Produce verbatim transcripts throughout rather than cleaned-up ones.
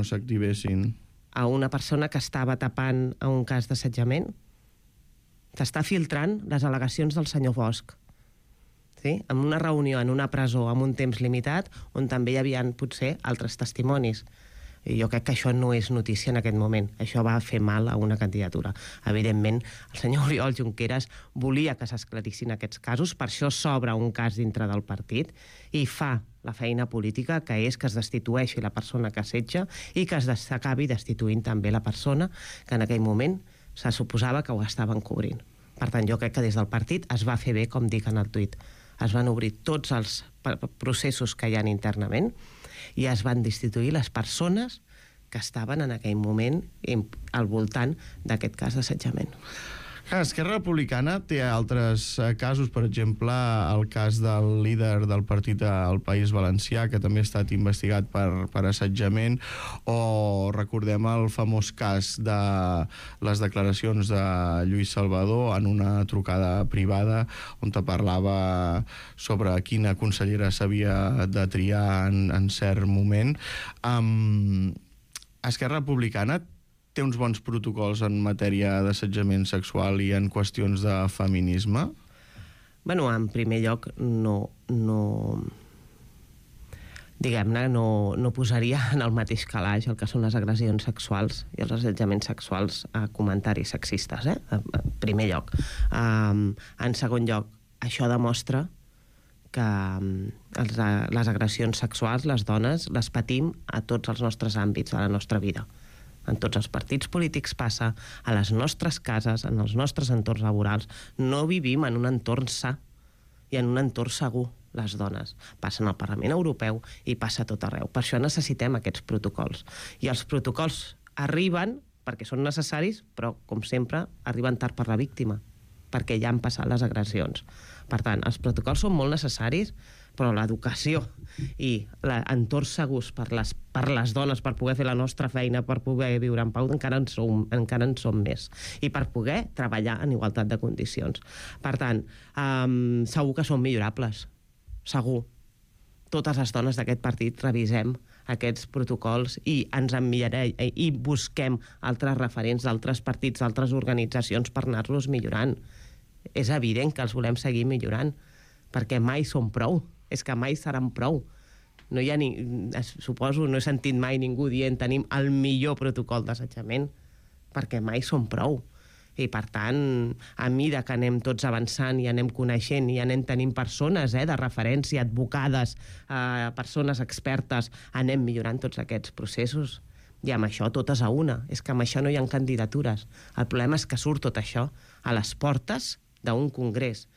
no s'activessin? A una persona que estava tapant a un cas d'assetjament. S'està filtrant les al·legacions del senyor Bosch. Sí? En una reunió, en una presó, amb un temps limitat, on també hi havia, potser, altres testimonis. I jo crec que això no és notícia en aquest moment. Això va fer mal a una candidatura. Evidentment, el senyor Oriol Junqueras volia que s'esclarissin aquests casos, per això s'obre un cas dintre del partit i fa la feina política, que és que es destitueixi la persona que assetja i que s'acabi destituint també la persona que en aquell moment se suposava que ho estaven cobrint. Per tant, jo crec que des del partit es va fer bé, com dic en el tuit. Es van obrir tots els processos que hi ha internament i es van destituir les persones que estaven en aquell moment al voltant d'aquest cas d'assetjament. Esquerra Republicana té altres casos, per exemple, el cas del líder del partit al País Valencià, que també ha estat investigat per, per assetjament, o recordem el famós cas de les declaracions de Lluís Salvador en una trucada privada on te parlava sobre quina consellera s'havia de triar en, en cert moment. Um, Esquerra Republicana té uns bons protocols en matèria d'assetjament sexual i en qüestions de feminisme? Bueno, en primer lloc, no... no diguem-ne, no, no posaria en el mateix calaix el que són les agressions sexuals i els assetjaments sexuals a comentaris sexistes, eh? En primer lloc. Um, en segon lloc, això demostra que els, les agressions sexuals, les dones, les patim a tots els nostres àmbits de la nostra vida. En tots els partits polítics passa, a les nostres cases, en els nostres entorns laborals. No vivim en un entorn sa i en un entorn segur, les dones. Passa en el Parlament Europeu i passa a tot arreu. Per això necessitem aquests protocols. I els protocols arriben perquè són necessaris, però, com sempre, arriben tard per la víctima, perquè ja han passat les agressions. Per tant, els protocols són molt necessaris, però l'educació i l'entorn segurs per les, per les dones, per poder fer la nostra feina, per poder viure en pau, encara en som, encara en som més. I per poder treballar en igualtat de condicions. Per tant, um, segur que són millorables. Segur. Totes les dones d'aquest partit revisem aquests protocols i ens enviarem i busquem altres referents d'altres partits, d'altres organitzacions per anar-los millorant. És evident que els volem seguir millorant, perquè mai són prou. És que mai seran prou. No hi ha ni, suposo, no he sentit mai ningú dient tenim el millor protocol d'assetjament, perquè mai són prou. I per tant, a mesura que anem tots avançant i anem coneixent i anem tenint persones eh, de referència, advocades, eh, persones expertes, anem millorant tots aquests processos. I amb això totes a una. És que amb això no hi ha candidatures. El problema és que surt tot això a les portes d'un congrés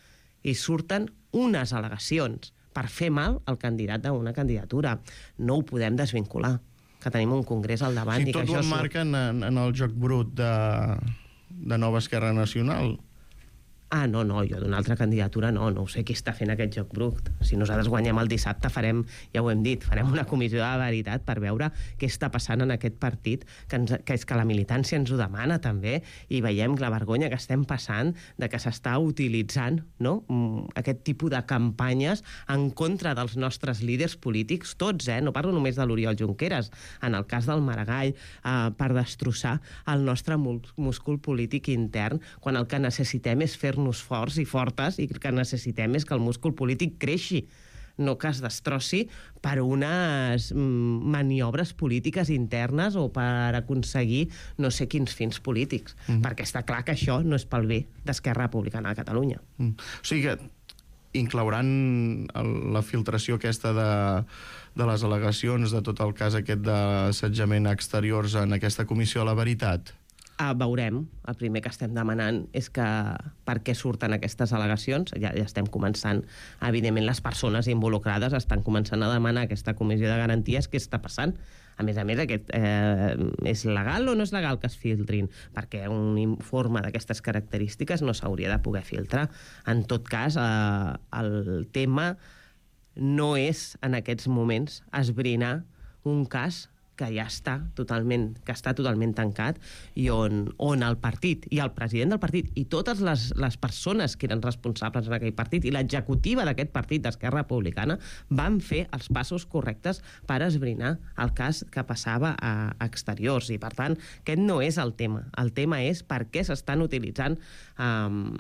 i surten unes al·legacions per fer mal al candidat d'una candidatura. No ho podem desvincular, que tenim un congrés al davant. Sí, i que tot ho emmarquen en, en el joc brut de, de Nova Esquerra Nacional. Ah, no, no, jo d'una altra candidatura no, no sé qui està fent aquest joc brut. Si nosaltres guanyem el dissabte farem, ja ho hem dit, farem una comissió de veritat per veure què està passant en aquest partit, que, ens, que és que la militància ens ho demana també, i veiem la vergonya que estem passant de que s'està utilitzant, no?, aquest tipus de campanyes en contra dels nostres líders polítics, tots, eh? No parlo només de l'Oriol Junqueras, en el cas del Maragall, eh, per destrossar el nostre múscul polític intern, quan el que necessitem és fer nos forts i fortes i que necessitem és que el múscul polític creixi, no que es destrossi per unes maniobres polítiques internes o per aconseguir no sé quins fins polítics, mm. perquè està clar que això no és pel bé d'Esquerra Republicana de Catalunya. Mm. O sigui que inclouran el, la filtració aquesta de, de les al·legacions de tot el cas aquest d'assetjament a exteriors en aquesta comissió a la veritat? Uh, veurem. El primer que estem demanant és que per què surten aquestes al·legacions. Ja, ja estem començant, evidentment les persones involucrades estan començant a demanar aquesta comissió de garanties què està passant. A més a més, aquest, eh, és legal o no és legal que es filtrin? Perquè un informe d'aquestes característiques no s'hauria de poder filtrar. En tot cas, eh, el tema no és en aquests moments esbrinar un cas que ja està totalment, que està totalment tancat i on, on el partit i el president del partit i totes les, les persones que eren responsables en aquell partit i l'executiva d'aquest partit d'Esquerra Republicana van fer els passos correctes per esbrinar el cas que passava a exteriors i per tant aquest no és el tema. El tema és per què s'estan utilitzant um,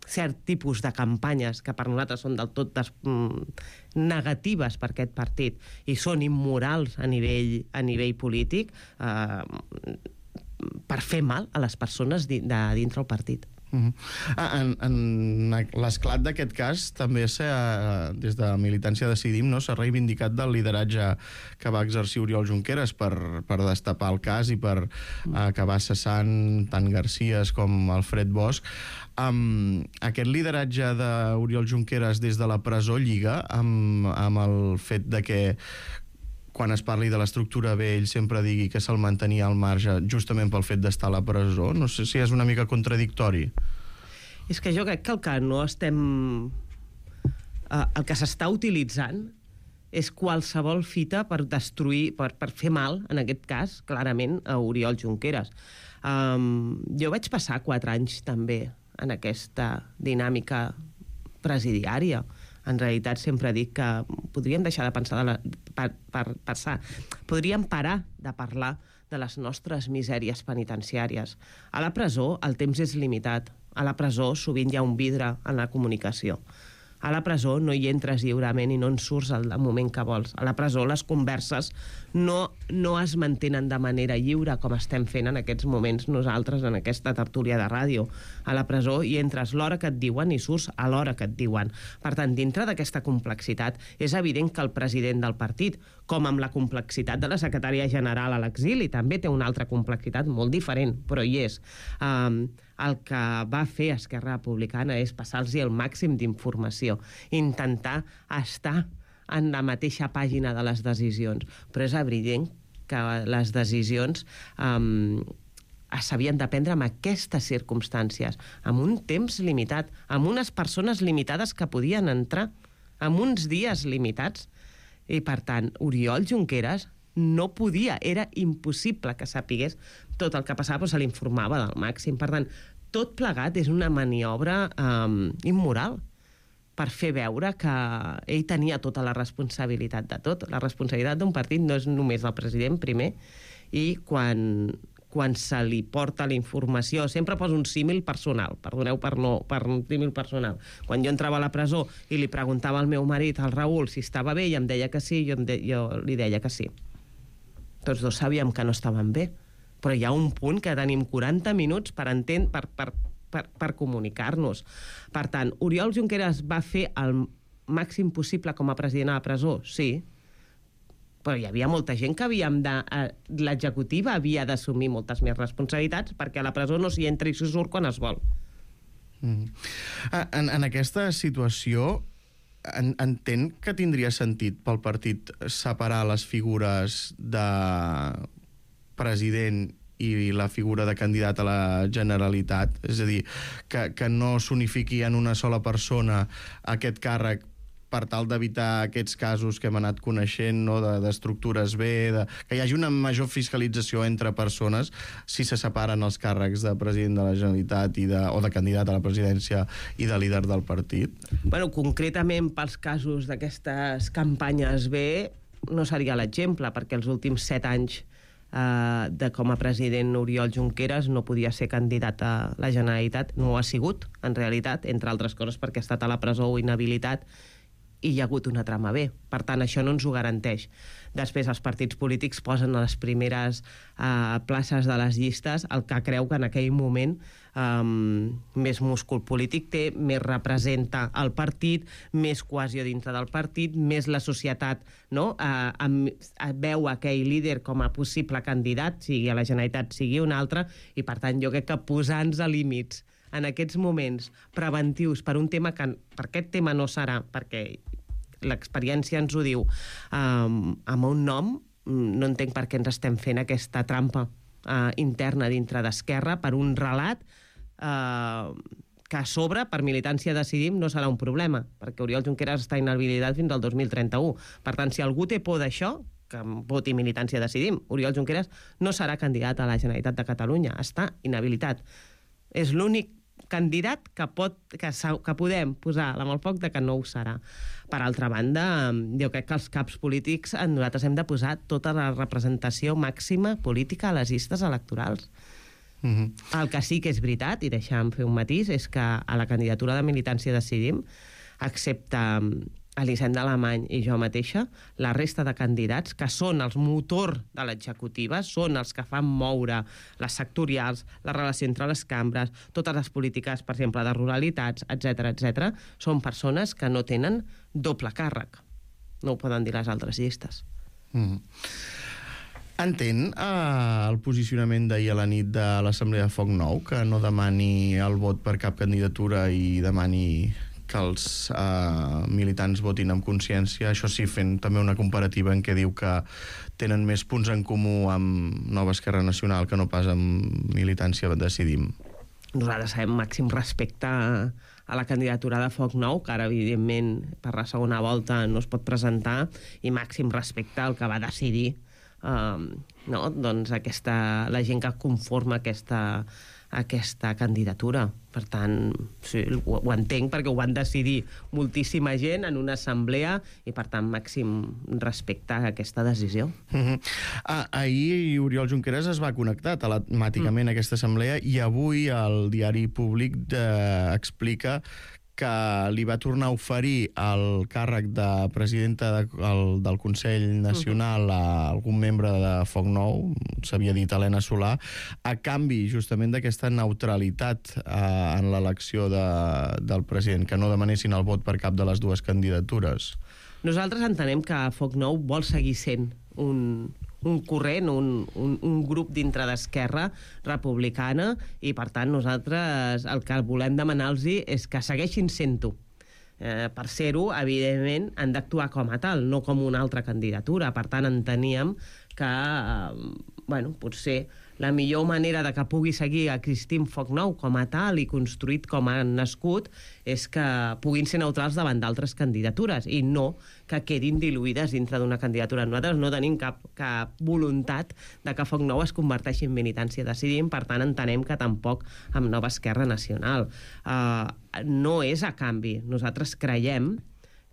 cert tipus de campanyes que per nosaltres són del tot des, mm, negatives per aquest partit i són immorals a nivell, a nivell polític eh, per fer mal a les persones di, de dintre el partit. Uh-huh. Ah, en, en l'esclat d'aquest cas també s'ha, des de Militància Decidim, no, s'ha reivindicat del lideratge que va exercir Oriol Junqueras per, per destapar el cas i per uh, acabar cessant tant Garcías com Alfred Bosch. Um, aquest lideratge d'Oriol Junqueras des de la presó lliga amb, amb el fet de que quan es parli de l'estructura B, ell sempre digui que se'l mantenia al marge justament pel fet d'estar a la presó. No sé si és una mica contradictori. És que jo crec que el que no estem... Eh, el que s'està utilitzant és qualsevol fita per destruir, per, per fer mal, en aquest cas, clarament, a Oriol Junqueras. Um, jo vaig passar quatre anys també en aquesta dinàmica presidiària. En realitat sempre dic que podríem deixar de pensar de la, per, per passar, podríem parar de parlar de les nostres misèries penitenciàries. A la presó el temps és limitat. A la presó sovint hi ha un vidre en la comunicació. A la presó no hi entres lliurement i no en surts al moment que vols. A la presó les converses no, no es mantenen de manera lliure com estem fent en aquests moments nosaltres en aquesta tertúlia de ràdio. A la presó hi entres l'hora que et diuen i surts a l'hora que et diuen. Per tant, dintre d'aquesta complexitat és evident que el president del partit, com amb la complexitat de la secretària general a l'exili, també té una altra complexitat molt diferent, però hi és. Um, el que va fer Esquerra Republicana és passar-los el màxim d'informació, intentar estar en la mateixa pàgina de les decisions. Però és evident que les decisions um, s'havien de prendre en aquestes circumstàncies, amb un temps limitat, amb unes persones limitades que podien entrar, amb uns dies limitats. I, per tant, Oriol Junqueras no podia, era impossible que sapigués tot el que passava, però se l'informava del màxim. Per tant, tot plegat és una maniobra um, immoral per fer veure que ell tenia tota la responsabilitat de tot. La responsabilitat d'un partit no és només del president, primer, i quan, quan se li porta la informació, sempre poso un símil personal, perdoneu per no, per un símil personal. Quan jo entrava a la presó i li preguntava al meu marit, al Raül, si estava bé, i em deia que sí, jo, em de, jo li deia que sí. Tots dos sabíem que no estaven bé, però hi ha un punt que tenim quaranta minuts per entendre, per, per, per, per comunicar-nos. Per tant, Oriol Junqueras va fer el màxim possible com a president a la presó? Sí, però hi havia molta gent que havíem de... Eh, l'executiva havia d'assumir moltes més responsabilitats perquè a la presó no s'hi entra i s'hi surt quan es vol. Mm. En, en aquesta situació en, entén que tindria sentit pel partit separar les figures de president i la figura de candidat a la Generalitat, és a dir, que, que no s'unifiqui en una sola persona aquest càrrec per tal d'evitar aquests casos que hem anat coneixent, no, d'estructures B, de, que hi hagi una major fiscalització entre persones si se separen els càrrecs de president de la Generalitat i de, o de candidat a la presidència i de líder del partit? Bueno, concretament pels casos d'aquestes campanyes B no seria l'exemple, perquè els últims set anys Uh, de com a president Oriol Junqueras no podia ser candidat a la Generalitat, no ho ha sigut, en realitat, entre altres coses perquè ha estat a la presó o inhabilitat i hi ha hagut una trama B. Per tant, això no ens ho garanteix. Després, els partits polítics posen a les primeres uh, places de les llistes el que creu que en aquell moment um, més múscul polític té, més representa el partit, més cohesió dintre del partit, més la societat, no? Uh, amb, uh, veu aquell líder com a possible candidat, sigui a la Generalitat, sigui un altre, i per tant jo crec que posar-nos a límits en aquests moments preventius per un tema que per aquest tema no serà, perquè l'experiència ens ho diu, um, amb un nom, no entenc per què ens estem fent aquesta trampa uh, interna dintre d'Esquerra per un relat uh, que a sobre, per Militància Decidim, no serà un problema, perquè Oriol Junqueras està inhabilitat fins al dos mil trenta-u. Per tant, si algú té por d'això, que voti Militància Decidim. Oriol Junqueras no serà candidat a la Generalitat de Catalunya, està inhabilitat. És l'únic candidat que, pot, que, que podem posar la mà al foc de que no ho serà. Per altra banda, jo crec que els caps polítics nosaltres hem de posar tota la representació màxima política a les llistes electorals. Mm-hmm. El que sí que és veritat, i deixa'm fer un matís, és que a la candidatura de Militància Decidim, excepte Elisenda Alemany i jo mateixa, la resta de candidats, que són els motor de l'executiva, són els que fan moure les sectorials, la relació entre les cambres, totes les polítiques, per exemple, de ruralitats, etcètera, etcètera, són persones que no tenen doble càrrec. No ho poden dir les altres llistes. Mm. Entén eh, el posicionament d'ahir a la nit de l'Assemblea de Foc Nou, que no demani el vot per cap candidatura i demani que els eh, militants votin amb consciència, això sí, fent també una comparativa en què diu que tenen més punts en comú amb Nova Esquerra Nacional que no pas amb Militància Decidim. Nosaltres sabem màxim respecte a, a la candidatura de Foc Nou, que ara, evidentment, per la segona volta no es pot presentar, i màxim respecte al que va decidir eh, no? doncs aquesta, la gent que conforma aquesta aquesta candidatura. Per tant, sí, ho, ho entenc perquè ho van decidir moltíssima gent en una assemblea i, per tant, màxim respecte a aquesta decisió. Mm-hmm. ah, ahir Oriol Junqueras es va connectar telemàticament mm. a aquesta assemblea i avui el diari Públic eh, explica que li va tornar a oferir el càrrec de presidenta de, el, del Consell Nacional a algun membre de Foc Nou, s'havia dit Helena Solà, a canvi justament d'aquesta neutralitat eh, en l'elecció de, del president, que no demanessin el vot per cap de les dues candidatures. Nosaltres entenem que Foc Nou vol seguir sent un, un corrent, un, un, un grup dintre d'Esquerra Republicana, i per tant nosaltres el que volem demanar-los és que segueixin sent-ho. Eh, per ser-ho, evidentment, han d'actuar com a tal, no com una altra candidatura. Per tant, enteníem que eh, bueno, potser la millor manera de que pugui seguir existint Foc Nou com a tal i construït com ha nascut és que puguin ser neutrals davant d'altres candidatures i no que quedin diluïdes dintre d'una candidatura. Nosaltres no tenim cap, cap voluntat de que Foc Nou es converteixi en Militància Decidim, per tant entenem que tampoc amb Nova Esquerra Nacional. Uh, no és a canvi. Nosaltres creiem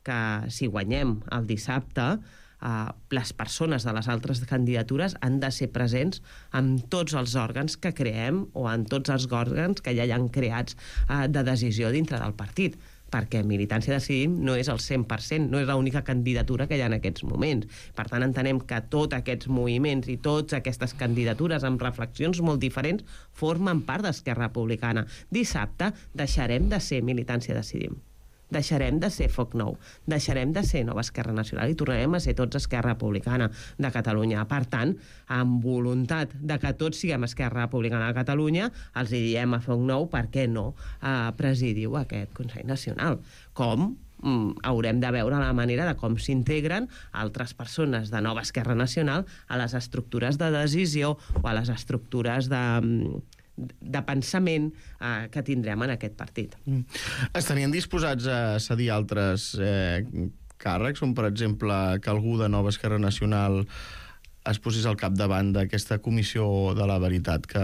que si guanyem el dissabte, Uh, les persones de les altres candidatures han de ser presents en tots els òrgans que creem o en tots els òrgans que ja hi han creats uh, de decisió dintre del partit, perquè Militància Decidim no és el cent per cent, no és l'única candidatura que hi ha en aquests moments. Per tant, entenem que tots aquests moviments i totes aquestes candidatures amb reflexions molt diferents formen part d'Esquerra Republicana. Dissabte deixarem de ser Militància Decidim. Deixarem de ser Foc Nou, deixarem de ser Nova Esquerra Nacional i tornarem a ser tots Esquerra Republicana de Catalunya. Per tant, amb voluntat de que tots siguem Esquerra Republicana de Catalunya, els hi diem a Foc Nou per què no eh, presidiu aquest Consell Nacional. Com mm, haurem de veure la manera de com s'integren altres persones de Nova Esquerra Nacional a les estructures de decisió o a les estructures de... de pensament eh, que tindrem en aquest partit. Mm. Estarien disposats a cedir altres eh, càrrecs, com per exemple que algú de Nova Esquerra Nacional es posés al capdavant d'aquesta comissió de la veritat que,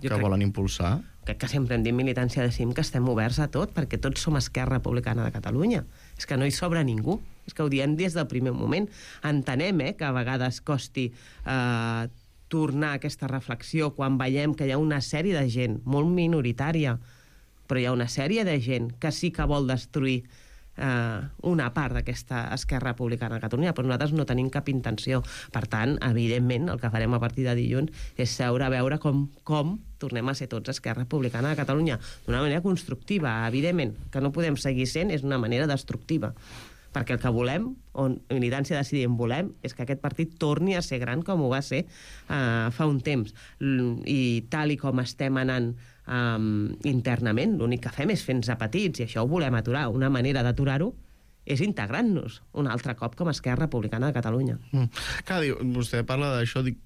que crec, volen impulsar? Crec que sempre hem dit Militància Decidim que estem oberts a tot, perquè tots som Esquerra Republicana de Catalunya. És que no hi sobra ningú. És que ho diem des del primer moment. Entenem eh, que a vegades costi eh, tornar a aquesta reflexió quan veiem que hi ha una sèrie de gent, molt minoritària, però hi ha una sèrie de gent que sí que vol destruir eh, una part d'aquesta Esquerra Republicana de Catalunya, però nosaltres no tenim cap intenció. Per tant, evidentment, el que farem a partir de dilluns és seure a veure com, com tornem a ser tots Esquerra Republicana de Catalunya d'una manera constructiva. Evidentment, que no podem seguir sent és una manera destructiva, perquè el que volem, on Militància Decidim volem, és que aquest partit torni a ser gran com ho va ser uh, fa un temps. I tal i com estem anant um, internament, l'únic que fem és fer-nos a petits, i això ho volem aturar. Una manera d'aturar-ho és integrant-nos un altre cop com a Esquerra Republicana de Catalunya. Mm. Clar, diu, vostè parla d'això, dic,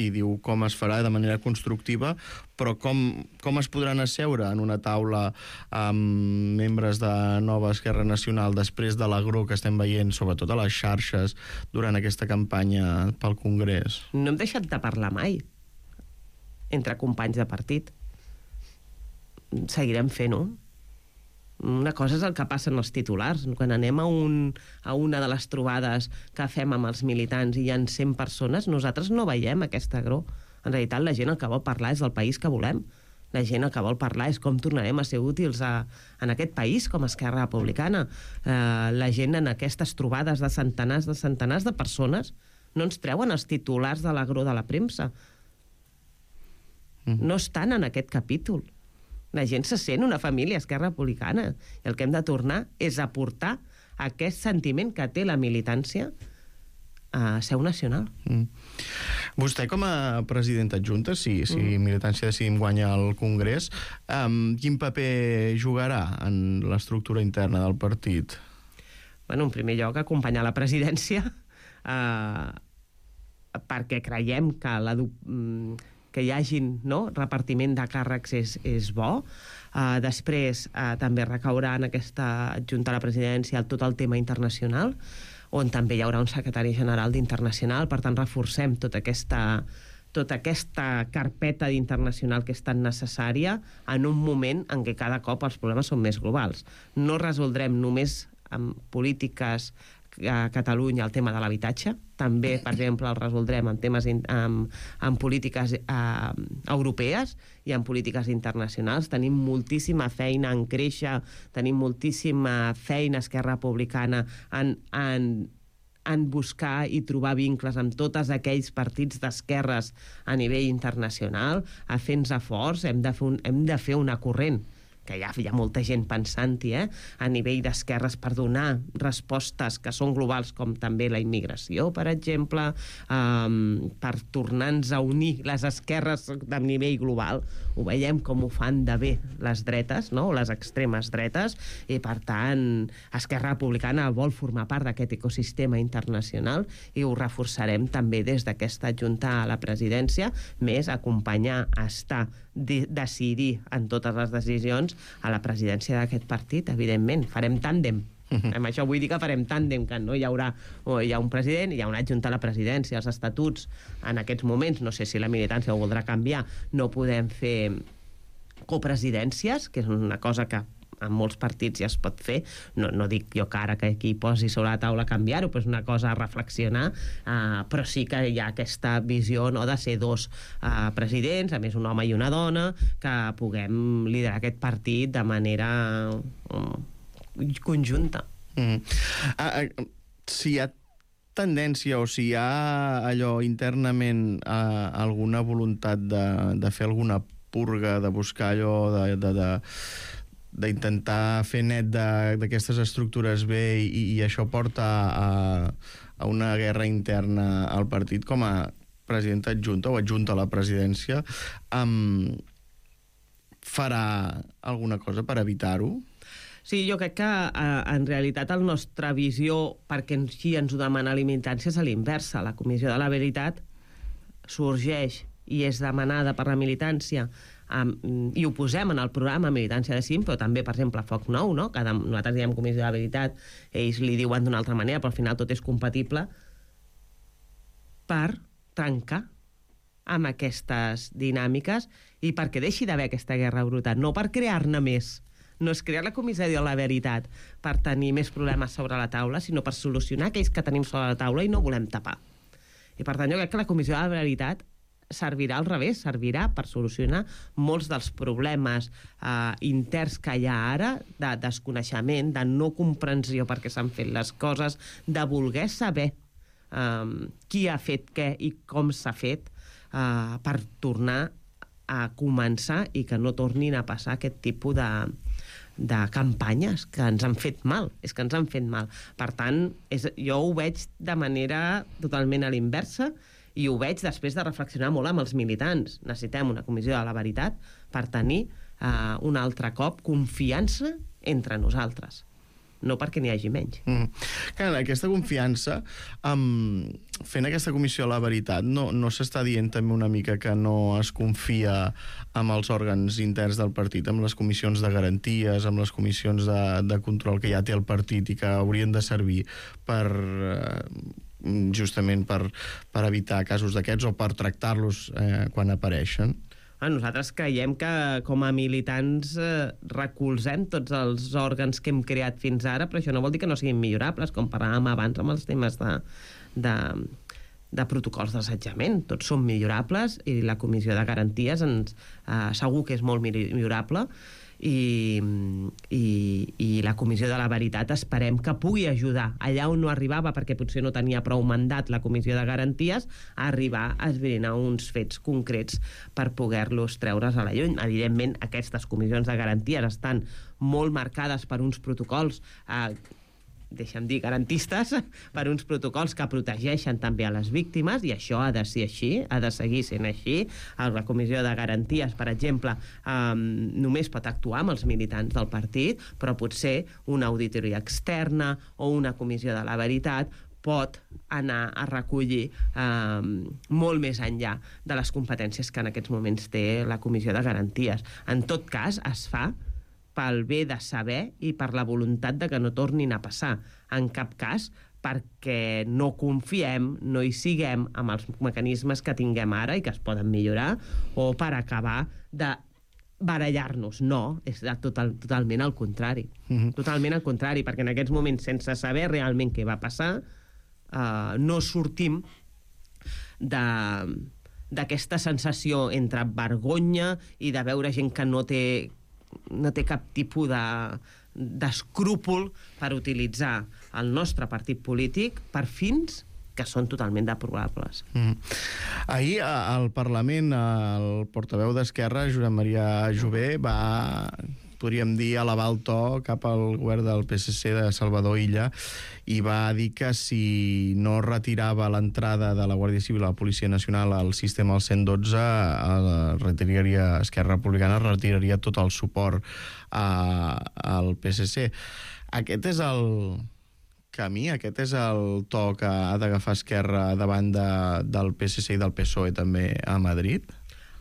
i diu com es farà de manera constructiva, però com, com es podran asseure en una taula amb membres de Nova Esquerra Nacional després de l'agró que estem veient, sobretot a les xarxes, durant aquesta campanya pel Congrés? No hem deixat de parlar mai entre companys de partit. Seguirem fent-ho. Una cosa és el que passa en els titulars. Quan anem a, un, a una de les trobades que fem amb els militants i hi ha cent persones, nosaltres no veiem aquesta agró. En realitat, la gent el que vol parlar és del país que volem. La gent el que vol parlar és com tornarem a ser útils a, en aquest país com a Esquerra Republicana. Eh, la gent en aquestes trobades de centenars de centenars de persones no ens treuen els titulars de l'agró de la premsa. No estan en aquest capítol. La gent se sent una família Esquerra Republicana i el que hem de tornar és aportar aquest sentiment que té la militància a seu nacional. Mm. Vostè com a presidenta adjunta, si, si mm. Militància Decidim guanya el Congrés, um, quin paper jugarà en l'estructura interna del partit? Bueno, en primer lloc, acompanyar la presidència eh, perquè creiem que la... que hi hagin, no, repartiment de càrrecs és, és bo. Uh, després uh, també recaurà en aquesta adjunta a la presidència tot el tema internacional, on també hi haurà un secretari general d'Internacional, per tant reforcem tota aquesta, tota aquesta carpeta d'internacional que és tan necessària en un moment en què cada cop els problemes són més globals. No resoldrem només amb polítiques a Catalunya el tema de l'habitatge, també, per exemple, el resoldrem en temes in, amb, amb polítiques eh, europees i en polítiques internacionals. Tenim moltíssima feina en créixer, tenim moltíssima feina Esquerra Republicana en, en, en buscar i trobar vincles amb tots aquells partits d'esquerres a nivell internacional, a fer-nos forts, hem de fer, un, hem de fer una corrent que ja hi ha molta gent pensant-hi, eh? A nivell d'esquerres per donar respostes que són globals, com també la immigració, per exemple, um, per tornar-nos a unir les esquerres de nivell global. Ho veiem com ho fan de bé les dretes, no? Les extremes dretes, i per tant Esquerra Republicana vol formar part d'aquest ecosistema internacional i ho reforçarem també des d'aquesta adjunta a la presidència, més acompanyar, estar, de decidir en totes les decisions a la presidència d'aquest partit, evidentment. Farem tàndem. Uh-huh. Amb això vull dir que farem tàndem, que no hi haurà o hi ha un president i hi ha una adjunta a la presidència. Els estatuts, en aquests moments, no sé si la militància ho voldrà canviar, no podem fer copresidències, que és una cosa que en molts partits ja es pot fer. No, no dic jo que ara que aquí posi sobre la taula canviar-ho, però és una cosa a reflexionar, uh, però sí que hi ha aquesta visió, no, de ser dos uh, presidents, a més un home i una dona, que puguem liderar aquest partit de manera um, conjunta. Mm. Uh, uh, si hi ha tendència o si hi ha allò internament uh, alguna voluntat de, de fer alguna purga, de buscar allò de... de, de d'intentar fer net d'aquestes estructures bé i, i això porta a, a una guerra interna al partit, com a presidenta adjunta o adjunta a la presidència, um, farà alguna cosa per evitar-ho? Sí, jo crec que eh, en realitat la nostra visió, perquè així ens ho demana la militància, és a l'inversa. La Comissió de la Veritat sorgeix i és demanada per la militància, um, i ho posem en el programa Militància Decidim, però també, per exemple, Foc Nou, no? Cada, nosaltres diem Comissió de la Veritat, ells li diuen d'una altra manera, però al final tot és compatible, per trencar amb aquestes dinàmiques i perquè deixi d'haver aquesta guerra bruta, no per crear-ne més. No és crear la Comissió de la Veritat per tenir més problemes sobre la taula, sinó per solucionar aquells que tenim sobre la taula i no volem tapar. I per tant, jo crec que la Comissió de la Veritat servirà al revés, servirà per solucionar molts dels problemes eh, interns que hi ha ara, de desconeixement, de no comprensió perquè s'han fet les coses, de voler saber eh, qui ha fet què i com s'ha fet, eh, per tornar a començar i que no tornin a passar aquest tipus de, de campanyes que ens han fet mal, és que ens han fet mal. Per tant, és, jo ho veig de manera totalment a l'inversa, i ho veig després de reflexionar molt amb els militants. Necessitem una comissió de la veritat per tenir eh, un altre cop confiança entre nosaltres. no perquè n'hi hagi menys. Mm. Clar, aquesta confiança, um, fent aquesta comissió a la veritat, no, no s'està dient també una mica que no es confia amb els òrgans interns del partit, amb les comissions de garanties, amb les comissions de, de control que ja té el partit i que haurien de servir per... Uh, justament per, per evitar casos d'aquests o per tractar-los eh, quan apareixen? Nosaltres creiem que com a militants eh, recolzem tots els òrgans que hem creat fins ara, però això no vol dir que no siguin millorables, com parlàvem abans amb els temes de, de, de protocols d'assetjament. Tots són millorables i la Comissió de Garanties ens, eh, segur que és molt millorable i, i, i la Comissió de la Veritat esperem que pugui ajudar allà on no arribava, perquè potser no tenia prou mandat la Comissió de Garanties, a arribar a esbrinar uns fets concrets per poder-los treure's a la llum. Evidentment, aquestes comissions de garanties estan molt marcades per uns protocols eh, deixa'm dir, garantistes, per uns protocols que protegeixen també a les víctimes, i això ha de ser així, ha de seguir sent així. La Comissió de Garanties, per exemple, eh, només pot actuar amb els militants del partit, però potser una auditoria externa o una comissió de la veritat pot anar a recollir eh, molt més enllà de les competències que en aquests moments té la Comissió de Garanties. En tot cas, es fa pel bé de saber i per la voluntat de que no tornin a passar. En cap cas perquè no confiem, no hi siguem amb els mecanismes que tinguem ara i que es poden millorar, o per acabar de barallar-nos. No, és total, totalment al contrari. Mm-hmm. Totalment al contrari, perquè en aquests moments, sense saber realment què va passar, eh, no sortim de... d'aquesta sensació entre vergonya i de veure gent que no té no té cap tipus de d'escrúpol per utilitzar el nostre partit polític per fins que són totalment deplorables. Mm. Ahir al Parlament el portaveu d'Esquerra, Josep Maria Jové, va, podríem dir, elevar el to cap al govern del P S C de Salvador Illa i va dir que si no retirava l'entrada de la Guàrdia Civil a la Policia Nacional al sistema al cent dotze, retiraria, Esquerra Republicana retiraria tot el suport a, al P S C. Aquest és el camí, aquest és el to que ha d'agafar Esquerra davant de, del P S C i del P S O E també a Madrid?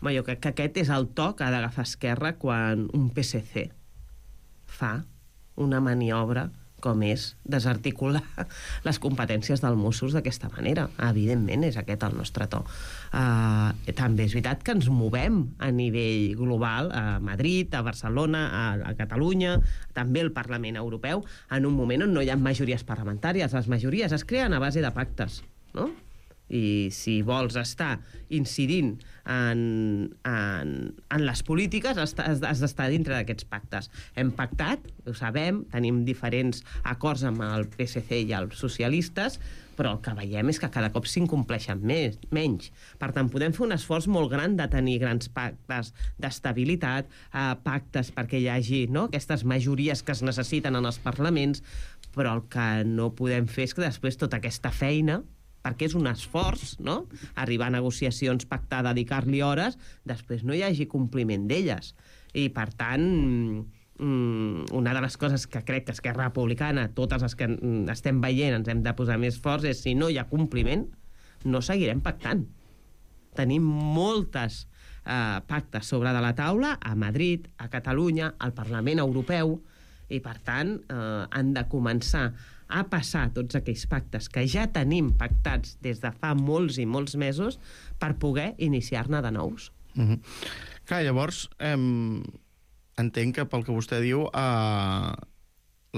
Bé, jo crec que aquest és el to que ha d'agafar Esquerra quan un P S C fa una maniobra com és desarticular les competències dels Mossos d'aquesta manera. Evidentment, és aquest el nostre to. Uh, també és veritat que ens movem a nivell global, a Madrid, a Barcelona, a, a Catalunya, també al Parlament Europeu, en un moment on no hi ha majories parlamentàries. Les majories es creen a base de pactes, no? I si vols estar incidint en, en, en les polítiques, has, has d'estar dintre d'aquests pactes. Hem pactat, ho sabem, tenim diferents acords amb el P S C i els socialistes, però el que veiem és que cada cop s'incompleixen més, menys. Per tant, podem fer un esforç molt gran de tenir grans pactes d'estabilitat, eh, pactes perquè hi hagi, no?, aquestes majories que es necessiten en els parlaments, però el que no podem fer és que després tota aquesta feina, perquè és un esforç, no?, arribar a negociacions, pactar, dedicar-li hores, després no hi hagi compliment d'elles. I, per tant, una de les coses que crec que Esquerra Republicana, totes les que estem veient, ens hem de posar més forts, és si no hi ha compliment, no seguirem pactant. Tenim moltes eh, pactes sobre de la taula a Madrid, a Catalunya, al Parlament Europeu, i, per tant, eh, han de començar a passar tots aquells pactes que ja tenim pactats des de fa molts i molts mesos per poder iniciar-ne de nous. Mm-hmm. Clar, llavors, eh, entenc que pel que vostè diu, eh,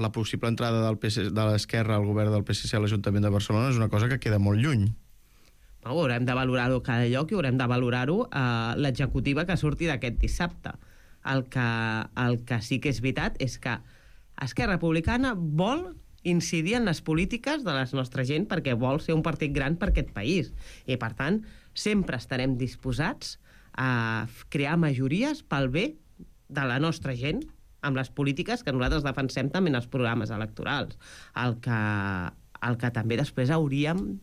la possible entrada del P S, de l'Esquerra al govern del P S C a l'Ajuntament de Barcelona és una cosa que queda molt lluny. Ho haurem de valorar-ho a cada lloc i haurem de valorar-ho a l'executiva que surti d'aquest dissabte. El que, el que sí que és veritat és que Esquerra Republicana vol incidir en les polítiques de la nostra gent perquè vol ser un partit gran per aquest país. I, per tant, sempre estarem disposats a crear majories pel bé de la nostra gent amb les polítiques que nosaltres defensem també en els programes electorals. El que, el que també després hauríem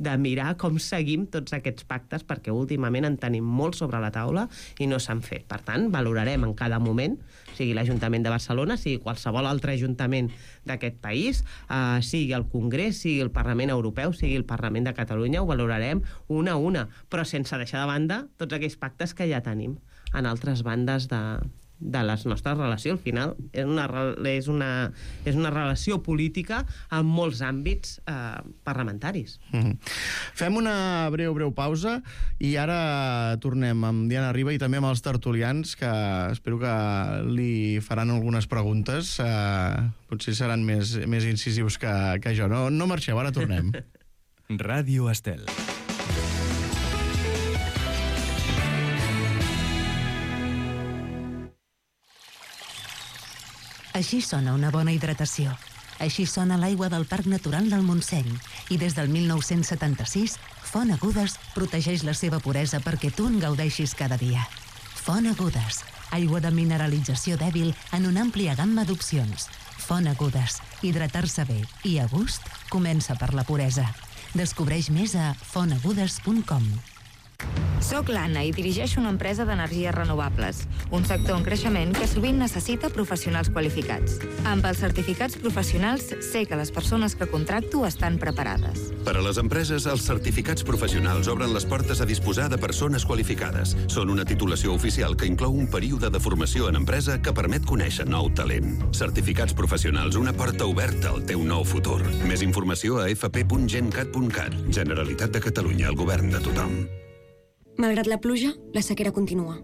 de mirar com seguim tots aquests pactes, perquè últimament en tenim molt sobre la taula i no s'han fet. Per tant, valorarem en cada moment, sigui l'Ajuntament de Barcelona, sigui qualsevol altre ajuntament d'aquest país, eh, sigui el Congrés, sigui el Parlament Europeu, sigui el Parlament de Catalunya, ho valorarem una a una, però sense deixar de banda tots aquells pactes que ja tenim en altres bandes de, de les nostres relacions. Al final és una, és una, és una relació política en molts àmbits eh, parlamentaris. Mm-hmm. Fem una breu, breu pausa i ara tornem amb Diana Riba i també amb els tertulians, que espero que li faran algunes preguntes. Eh, potser seran més, més incisius que, que jo. No, no marxeu, ara tornem. Ràdio Estel. Així sona una bona hidratació. Així sona l'aigua del Parc Natural del Montseny. I des del mil nou-cents setanta-sis, Font Agudes protegeix la seva puresa perquè tu en gaudeixis cada dia. Font Agudes, aigua de mineralització dèbil en una àmplia gamma d'opcions. Font Agudes, hidratar-se bé i a gust comença per la puresa. Descobreix més a font agudes punt com. Soc l'Anna i dirigeixo una empresa d'energies renovables, un sector en creixement que sovint necessita professionals qualificats. Amb els certificats professionals sé que les persones que contracto estan preparades. Per a les empreses, els certificats professionals obren les portes a disposar de persones qualificades. Són una titulació oficial que inclou un període de formació en empresa que permet conèixer nou talent. Certificats professionals, una porta oberta al teu nou futur. Més informació a f p punt gencat punt cat. Generalitat de Catalunya, el govern de tothom. Malgrat la pluja, la sequera continua.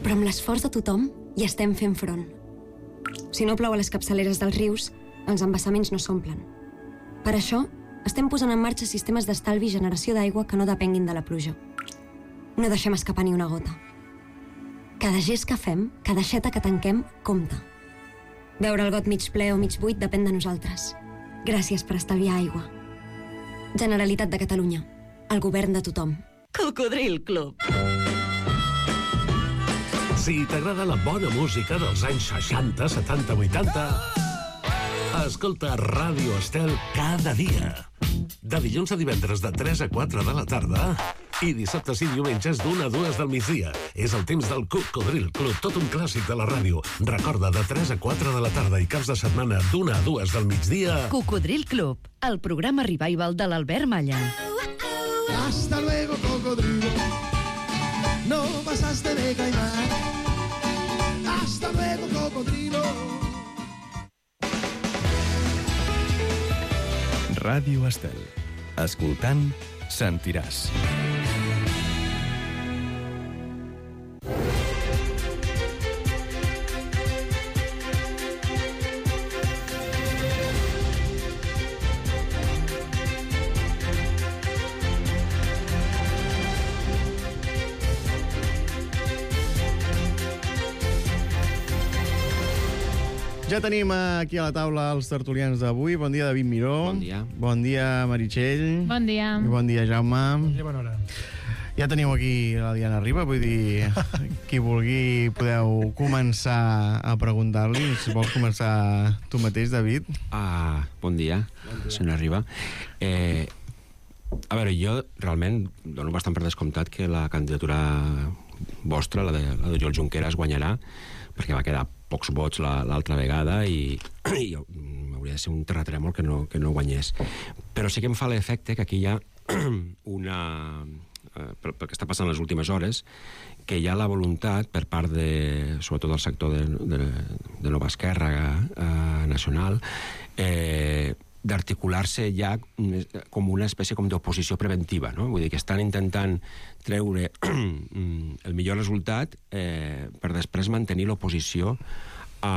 Però amb l'esforç de tothom hi estem fent front. Si no plou a les capçaleres dels rius, els embassaments no s'omplen. Per això, estem posant en marxa sistemes d'estalvi i generació d'aigua que no depenguin de la pluja. No deixem escapar ni una gota. Cada gest que fem, cada aixeta que tanquem, compta. Veure el got mig ple o mig buit depèn de nosaltres. Gràcies per estalviar aigua. Generalitat de Catalunya. El govern de tothom. Cocodril Club. Si t'agrada la bona música dels anys seixanta, setanta, vuitanta, escolta Ràdio Estel cada dia. De dilluns a divendres de tres a quatre de la tarda i dissabtes i diumenges d'una a dues del migdia. És el temps del Cocodril Club, tot un clàssic de la ràdio. Recorda, de tres a quatre de la tarda i caps de setmana d'una a dues del migdia. Cocodril Club, el programa revival de l'Albert Malla. Hasta luego, cocodrilo. No pasaste de caimán. Hasta luego, cocodrilo. Ràdio Estel. Escoltant, sentiràs. Ja tenim aquí a la taula els tertulians d'avui. Bon dia, David Miró. Bon dia. Bon dia, Meritxell. Bon dia. I bon dia, Jaume. Bon dia, bona hora. Ja teniu aquí la Diana Riba, vull dir, qui vulgui podeu començar a preguntar-li. Si vols començar tu mateix, David. Ah, bon dia, bon dia. Senyora Riba. Eh, a veure, jo realment dono bastant per descomptat que la candidatura vostra, la de, la de Oriol Junqueras, guanyarà, perquè va quedar pocs vots l'altra vegada i, i hauria de ser un terratrèmol que no, que no guanyés. Però sí que em fa l'efecte que aquí hi ha una... Eh, pel, pel que està passant les últimes hores, que hi ha la voluntat per part de, sobretot del sector de, de, de Nova Esquerra eh, Nacional, eh, d'articular-se ja com una espècie com d'oposició preventiva, no? Vull dir que estan intentant treure el millor resultat eh, per després mantenir l'oposició a,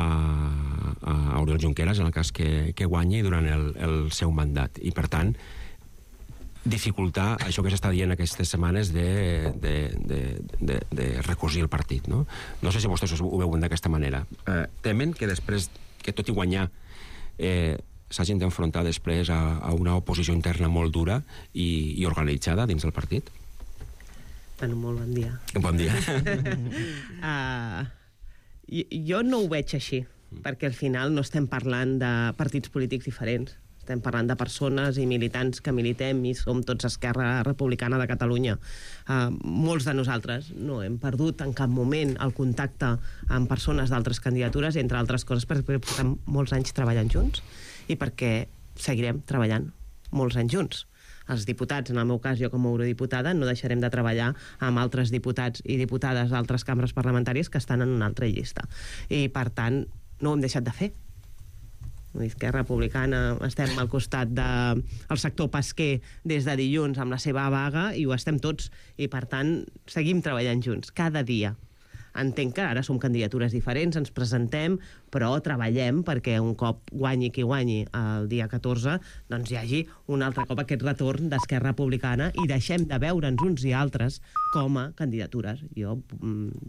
a Oriol Junqueras en el cas que, que guanyi durant el, el seu mandat. I, per tant, dificultar això que s'està dient aquestes setmanes de, de, de, de, de recosir el partit, no? No sé si vostès ho veuen d'aquesta manera. Eh, temen que després, que tot i guanyar, eh, s'hagin d'enfrontar després a, a una oposició interna molt dura i, i organitzada dins del partit? Bueno, molt bon dia. Bon dia. uh, jo no ho veig així, perquè al final no estem parlant de partits polítics diferents. Estem parlant de persones i militants que militem i som tots Esquerra Republicana de Catalunya. Uh, molts de nosaltres no hem perdut en cap moment el contacte amb persones d'altres candidatures, entre altres coses perquè portem molts anys treballant junts i perquè seguirem treballant molts anys junts. Els diputats, en el meu cas, jo com a eurodiputada, no deixarem de treballar amb altres diputats i diputades d'altres cambres parlamentàries que estan en una altra llista. I, per tant, no ho hem deixat de fer. Esquerra Republicana estem al costat del sector pesquer des de dilluns amb la seva vaga i ho estem tots. I, per tant, seguim treballant junts, cada dia. Entenc que ara som candidatures diferents, ens presentem, però treballem perquè un cop guanyi qui guanyi el dia catorze, doncs hi hagi un altre cop aquest retorn d'Esquerra Republicana i deixem de veure'ns uns i altres com a candidatures. Jo,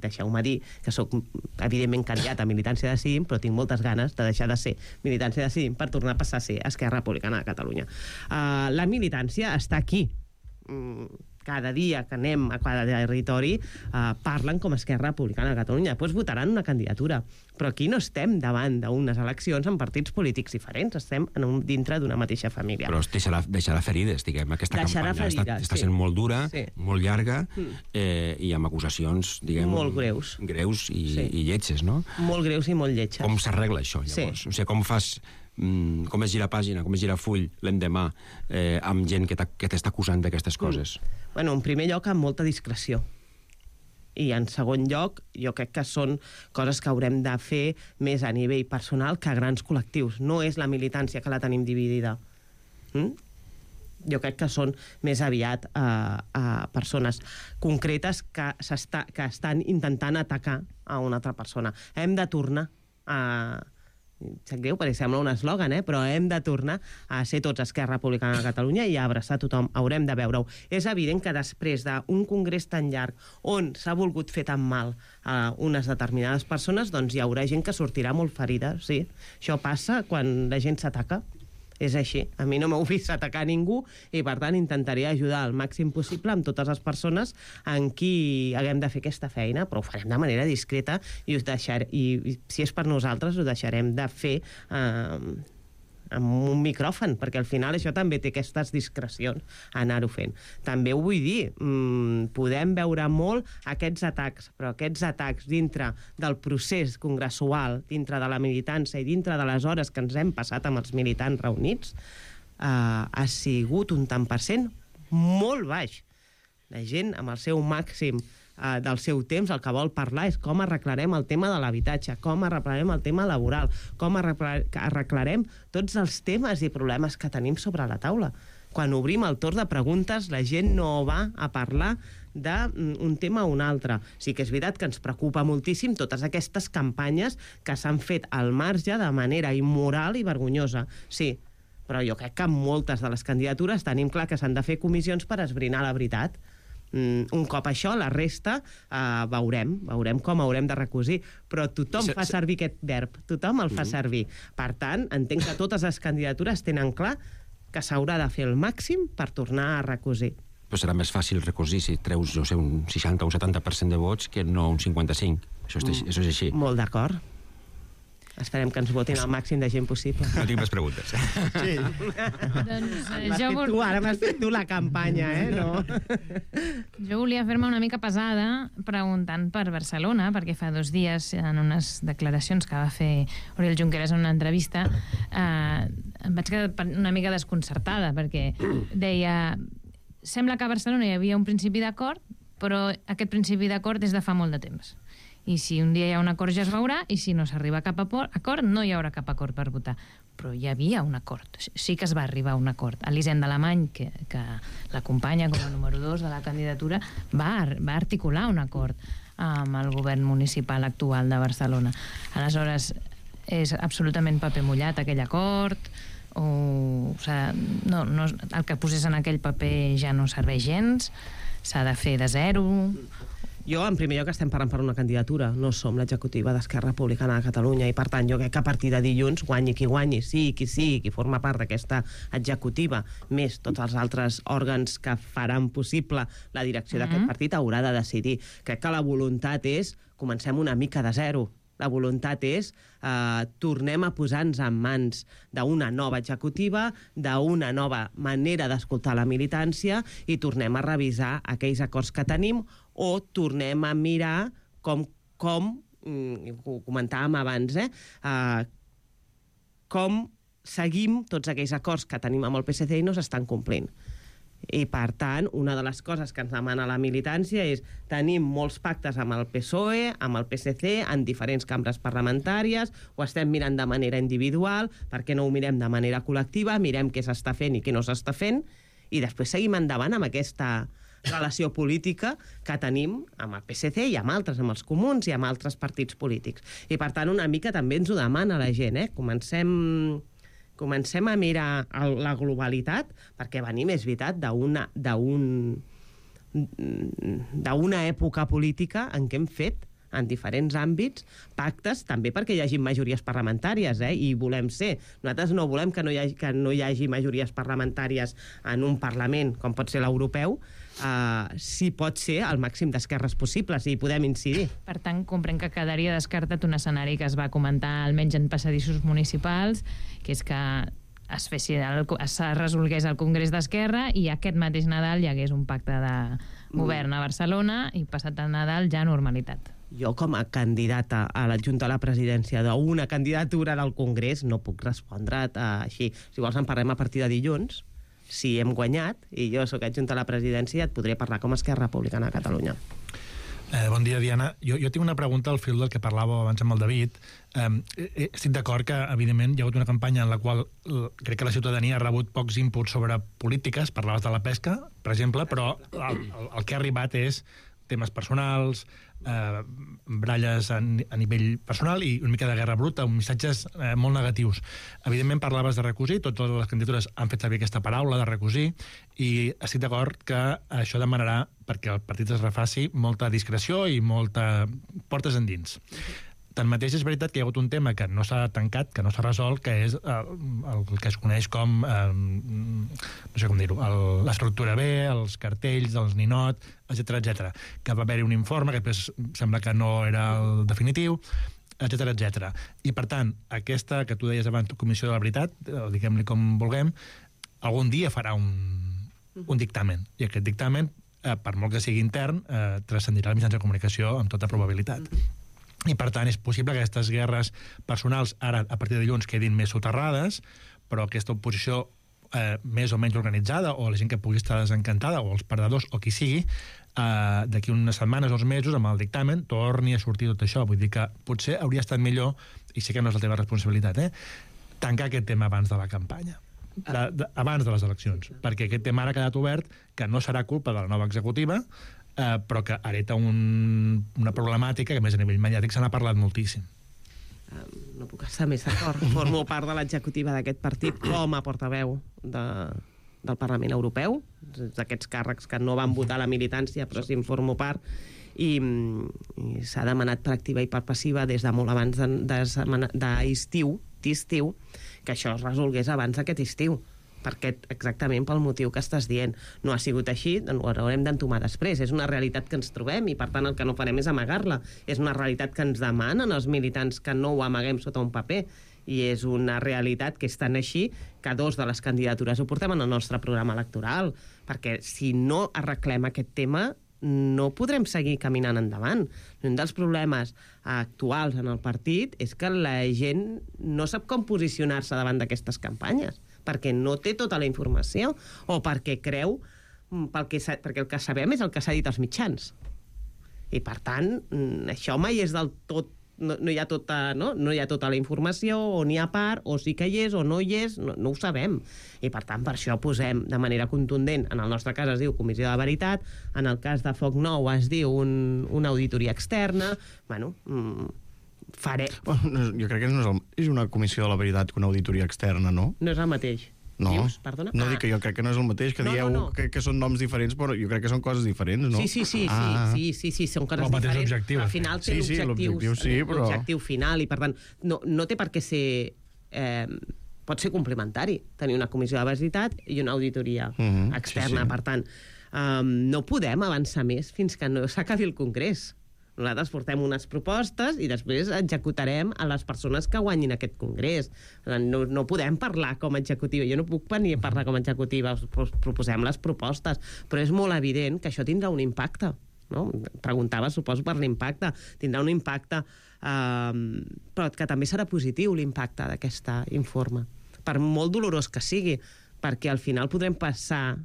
deixeu-me dir que sóc evidentment candidat a Militància Decidim, però tinc moltes ganes de deixar de ser Militància Decidim per tornar a passar a ser Esquerra Republicana de Catalunya. Uh, la militància està aquí. Mm, cada dia que anem a cada territori eh, parlen com a Esquerra Republicana de Catalunya. Després votaran una candidatura. Però aquí no estem davant d'unes eleccions amb partits polítics diferents, estem en un, dintre d'una mateixa família. Però deixarà, deixarà ferides, diguem. Aquesta deixarà campanya ferides, està, està sí. sent molt dura, sí. molt llarga, mm. eh, i amb acusacions, diguem... Molt greus. Greus i, sí. i lletges, no? Molt greus i molt lletges. Com s'arregla això, llavors? Sí. O sigui, com fas... com es gira pàgina, com es gira full l'endemà eh, amb gent que t'està acusant d'aquestes coses? Mm. Bueno, en primer lloc, amb molta discreció. I en segon lloc, jo crec que són coses que haurem de fer més a nivell personal que a grans col·lectius. No és la militància que la tenim dividida. Mm? Jo crec que són més aviat uh, uh, persones concretes que, que estan intentant atacar a una altra persona. Hem de tornar a... sap greu perquè sembla un eslògan, eh? Però hem de tornar a ser tots Esquerra Republicana de Catalunya i a abraçar tothom, haurem de veure-ho. És evident que després d'un congrés tan llarg on s'ha volgut fer tan mal a unes determinades persones, doncs hi haurà gent que sortirà molt ferida, sí. Això passa quan la gent s'ataca. És així. A mi no m'heu vist atacar ningú i, per tant, intentaré ajudar al màxim possible amb totes les persones en qui haguem de fer aquesta feina, però ho farem de manera discreta i, us deixar, i si és per nosaltres ho deixarem de fer eh, amb un micròfon, perquè al final això també té aquestes discrecions a anar-ho fent. També ho vull dir, mmm, podem veure molt aquests atacs, però aquests atacs dintre del procés congressual, dintre de la militància i dintre de les hores que ens hem passat amb els militants reunits, eh, ha sigut un tant per cent molt baix. La gent, amb el seu màxim Uh, del seu temps, el que vol parlar és com arreglarem el tema de l'habitatge, com arreglarem el tema laboral, com arreglarem tots els temes i problemes que tenim sobre la taula. Quan obrim el torn de preguntes, la gent no va a parlar d'un tema o un altre. Sí que és veritat que ens preocupa moltíssim totes aquestes campanyes que s'han fet al marge de manera immoral i vergonyosa. Sí, però jo crec que en moltes de les candidatures tenim clar que s'han de fer comissions per esbrinar la veritat. Un cop això, la resta uh, veurem, veurem com haurem de recosir, però tothom fa servir aquest verb, tothom el fa servir. Per tant, entenc que totes les candidatures tenen clar que s'haurà de fer el màxim per tornar a recosir. Però serà més fàcil recosir si treus, jo sé, un seixanta o un setanta per cent de vots que no un cinquanta-cinc. Això és, això és així. Molt d'acord. Esperem que ens votin el màxim de gent possible. No tinc més preguntes. Sí. Doncs, eh, jo vol... tu, ara m'has fet tu la campanya, eh? No? Jo volia fer-me una mica pesada preguntant per Barcelona, perquè fa dos dies, en unes declaracions que va fer Oriol Junqueras en una entrevista, eh, em vaig quedar una mica desconcertada, perquè deia... Sembla que a Barcelona hi havia un principi d'acord, però aquest principi d'acord és de fa molt de temps. I si un dia hi ha un acord ja es veurà, i si no s'arriba a cap acord, no hi haurà cap acord per votar. Però hi havia un acord, sí que es va arribar a un acord. Elisenda Alemany, que, que l'acompanya com a número dos de la candidatura, va, va articular un acord amb el govern municipal actual de Barcelona. Aleshores, és absolutament paper mullat aquell acord, o, o sigui, no, no, el que posés en aquell paper ja no serveix gens, s'ha de fer de zero... Jo, en primer lloc, estem parlant per una candidatura. No som l'executiva d'Esquerra Republicana de Catalunya i, per tant, jo crec que a partir de dilluns, guanyi qui guanyi, sí, qui sí, qui forma part d'aquesta executiva, més tots els altres òrgans que faran possible la direcció d'aquest partit, haurà de decidir. Crec que la voluntat és comencem una mica de zero. La voluntat és eh, tornem a posar-nos en mans d'una nova executiva, d'una nova manera d'escoltar la militància i tornem a revisar aquells acords que tenim o tornem a mirar com, com ho comentàvem abans, eh, eh, com seguim tots aquells acords que tenim amb el P S C i no s'estan complint. I, per tant, una de les coses que ens demana la militància és tenim molts pactes amb el P S O E, amb el P S C, en diferents cambres parlamentàries, ho estem mirant de manera individual, per què no ho mirem de manera col·lectiva, mirem què s'està fent i què no s'està fent, i després seguim endavant amb aquesta relació política que tenim amb el P S C i amb altres, amb els comuns i amb altres partits polítics. I, per tant, una mica també ens ho demana la gent, eh? Comencem... Comencem a mirar la globalitat, perquè venim, és veritat, d'una d'una època política en què hem fet, en diferents àmbits, pactes, també perquè hi hagi majories parlamentàries, eh? I volem ser. Nosaltres no volem que no hi hagi, que no hi hagi majories parlamentàries en un Parlament, com pot ser l'europeu, Uh, si pot ser el màxim d'esquerres possibles i hi podem incidir. Per tant, comprenc que quedaria descartat un escenari que es va comentar almenys en passadissos municipals, que és que es, fessi el, es resolgués el Congrés d'Esquerra i aquest mateix Nadal hi hagués un pacte de govern a Barcelona i passat el Nadal ja normalitat. Jo, com a candidata a l'adjunta a la presidència d'una candidatura del Congrés, no puc respondre't uh, així. Si vols en parlem a partir de dilluns, si hem guanyat, i jo sóc adjunta a la presidència, et podré parlar com a Esquerra Republicana de Catalunya. Eh, bon dia, Diana. Jo, jo tinc una pregunta al fil del que parlàveu abans amb el David. Eh, estic d'acord que, evidentment, hi ha hagut una campanya en la qual crec que la ciutadania ha rebut pocs inputs sobre polítiques, parlaves de la pesca, per exemple, però el, el, el que ha arribat és temes personals, eh, bralles a, a nivell personal i una mica de guerra bruta, missatges eh, molt negatius. Evidentment parlaves de recosir, totes les candidatures han fet servir aquesta paraula de recosir i estic d'acord que això demanarà, perquè el partit es refaci, molta discreció i molta portes endins. Tanmateix, és veritat que hi ha hagut un tema que no s'ha tancat, que no s'ha resolt, que és el, el que es coneix com, eh, no sé com dir-ho, l'estructura B, els cartells, els ninot, etcètera, etcètera. Que va haver-hi un informe que després sembla que no era el definitiu, etcètera, etcètera. I, per tant, aquesta que tu deies abans, Comissió de la Veritat, diguem-li com vulguem, algun dia farà un, un dictamen. I aquest dictamen, eh, per molt que sigui intern, eh, transcendirà els mitjans de comunicació amb tota probabilitat. I, per tant, és possible que aquestes guerres personals ara, a partir de dilluns, quedin més soterrades, però aquesta oposició eh, més o menys organitzada, o la gent que pugui estar desencantada, o els perdedors, o qui sigui, eh, d'aquí unes setmanes o uns mesos, amb el dictamen, torni a sortir tot això. Vull dir que potser hauria estat millor, i sé que no és la teva responsabilitat, eh, tancar aquest tema abans de la campanya. De, de, abans de les eleccions, perquè aquest tema ara ha quedat obert, que no serà culpa de la nova executiva, eh, però que hereta un, una problemàtica que, a més, a nivell mediàtic se n'ha parlat moltíssim. Um, no puc estar més d'acord. Formo part de l'executiva d'aquest partit com a portaveu de, del Parlament Europeu, d'aquests càrrecs que no van votar la militància, però sí en formo part, i, i s'ha demanat per activa i per passiva des de molt abans d'estiu, d'estiu, que això es resolgués abans d'aquest estiu, perquè exactament pel motiu que estàs dient. No ha sigut així, ho haurem d'entomar després. És una realitat que ens trobem i, per tant, el que no farem és amagar-la. És una realitat que ens demanen els militants que no ho amaguem sota un paper. I és una realitat que és tan així que dos de les candidatures ho portem en el nostre programa electoral, perquè si no arreglem aquest tema no podrem seguir caminant endavant. Un dels problemes actuals en el partit és que la gent no sap com posicionar-se davant d'aquestes campanyes, perquè no té tota la informació o perquè creu, pel que, perquè el que sabem és el que s'ha dit als mitjans. I, per tant, això mai és del tot... No, no, hi ha tota, no? no hi ha tota la informació, o n'hi ha part, o sí que hi és, o no hi és, no, no ho sabem. I, per tant, per això posem de manera contundent, en el nostre cas es diu Comissió de Veritat, en el cas de Foc Nou es diu un, una auditoria externa, bueno... Mm, faré... Bueno, jo crec que no és, el, és una comissió de la veritat que una auditoria externa, no? No és el mateix. No, Dius, perdona? no ah. dic que jo crec que no és el mateix, que no, dieu no, no. Que, que són noms diferents, però jo crec que són coses diferents, no? Sí, sí, sí, ah. sí, sí, sí, sí, són coses el diferents. Objectiu. Al final té sí, sí, l'objectiu sí, però... l'objectiu final, i per tant no, no té per què ser... Eh, pot ser complementari, tenir una comissió de veritat i una auditoria uh-huh, externa. Sí, sí. Per tant, um, no podem avançar més fins que no s'acabi el Congrés. Nosaltres portem unes propostes i després executarem a les persones que guanyin aquest congrés. No, no podem parlar com a executiva. Jo no puc venir a parlar com a executiva. Proposem les propostes. Però és molt evident que això tindrà un impacte. No? Preguntava, suposo, per l'impacte. Tindrà un impacte, eh, però que també serà positiu l'impacte d'aquest informe. Per molt dolorós que sigui, perquè al final podrem passar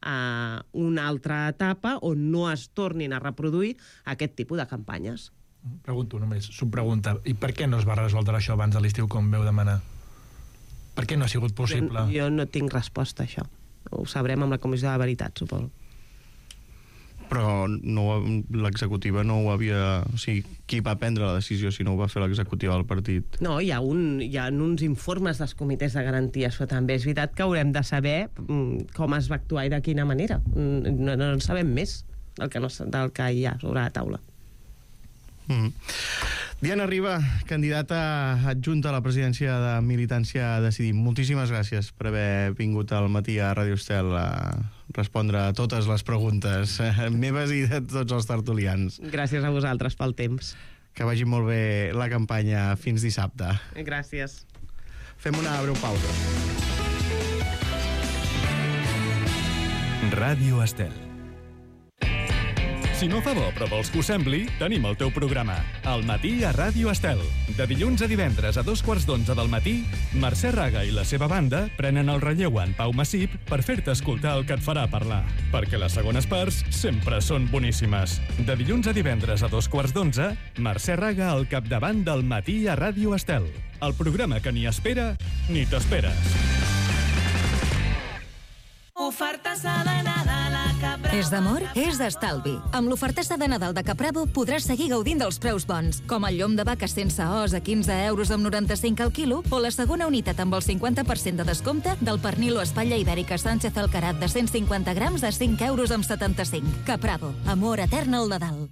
a una altra etapa on no es tornin a reproduir aquest tipus de campanyes. Pregunto només, subpregunta, i per què no es va resoldre això abans de l'estiu com veu demanar? Per què no ha sigut possible? Jo, jo no tinc resposta a això. Ho sabrem amb la Comissió de Veritat, suposo. Però no, l'executiva no ho havia... O sigui, qui va prendre la decisió si no ho va fer l'executiva del partit? No, hi ha, un, hi ha uns informes dels comitès de garanties, però també és veritat que haurem de saber com es va actuar i de quina manera. No, no en sabem més del que, no, del que hi ha sobre la taula. Mm. Diana Riba, candidata adjunta a la presidència de Militància Decidim. Moltíssimes gràcies per haver vingut al matí a Ràdio Estel a respondre a totes les preguntes eh, meves i de tots els tertulians. Gràcies a vosaltres pel temps. Que vagi molt bé la campanya fins dissabte. Gràcies. Fem una breu pausa. Ràdio Estel. Si no fa bo però vols que ho sembli, tenim el teu programa. Al matí a Ràdio Estel. De dilluns a divendres a dos quarts d'onze del matí, Mercè Raga i la seva banda prenen el relleu en Pau Massip per fer-te escoltar el que et farà parlar. Perquè les segones parts sempre són boníssimes. De dilluns a divendres a dos quarts d'onze, Mercè Raga al capdavant del matí a Ràdio Estel. El programa que ni espera ni t'esperes. Ofertassa de Nadal a Caprabo. És d'amor? És d'estalvi. Amb l'ofertassa de Nadal de Caprabo podràs seguir gaudint dels preus bons, com el llom de vaca sense os a quinze euros amb noranta-cinc al quilo o la segona unitat amb el cinquanta per cent de descompte del pernil o espatlla ibèrica Sánchez Alcarat de cent cinquanta grams a cinc euros amb setanta-cinc. Caprabo. Amor etern al Nadal.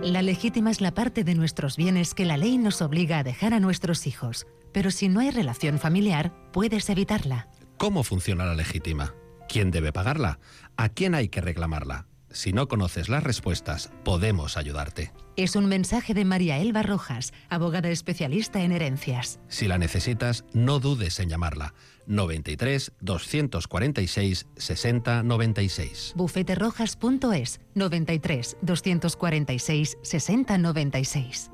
La legítima es la parte de nuestros bienes que la ley nos obliga a dejar a nuestros hijos. Pero si no hay relación familiar, puedes evitarla. ¿Cómo funciona la legítima? ¿Quién debe pagarla? ¿A quién hay que reclamarla? Si no conoces las respuestas, podemos ayudarte. Es un mensaje de María Elba Rojas, abogada especialista en herencias. Si la necesitas, no dudes en llamarla. noventa y tres, doscientos cuarenta y seis, sesenta noventa y seis. bufeterojas punto es, noventa y tres, doscientos cuarenta y seis, sesenta noventa y seis.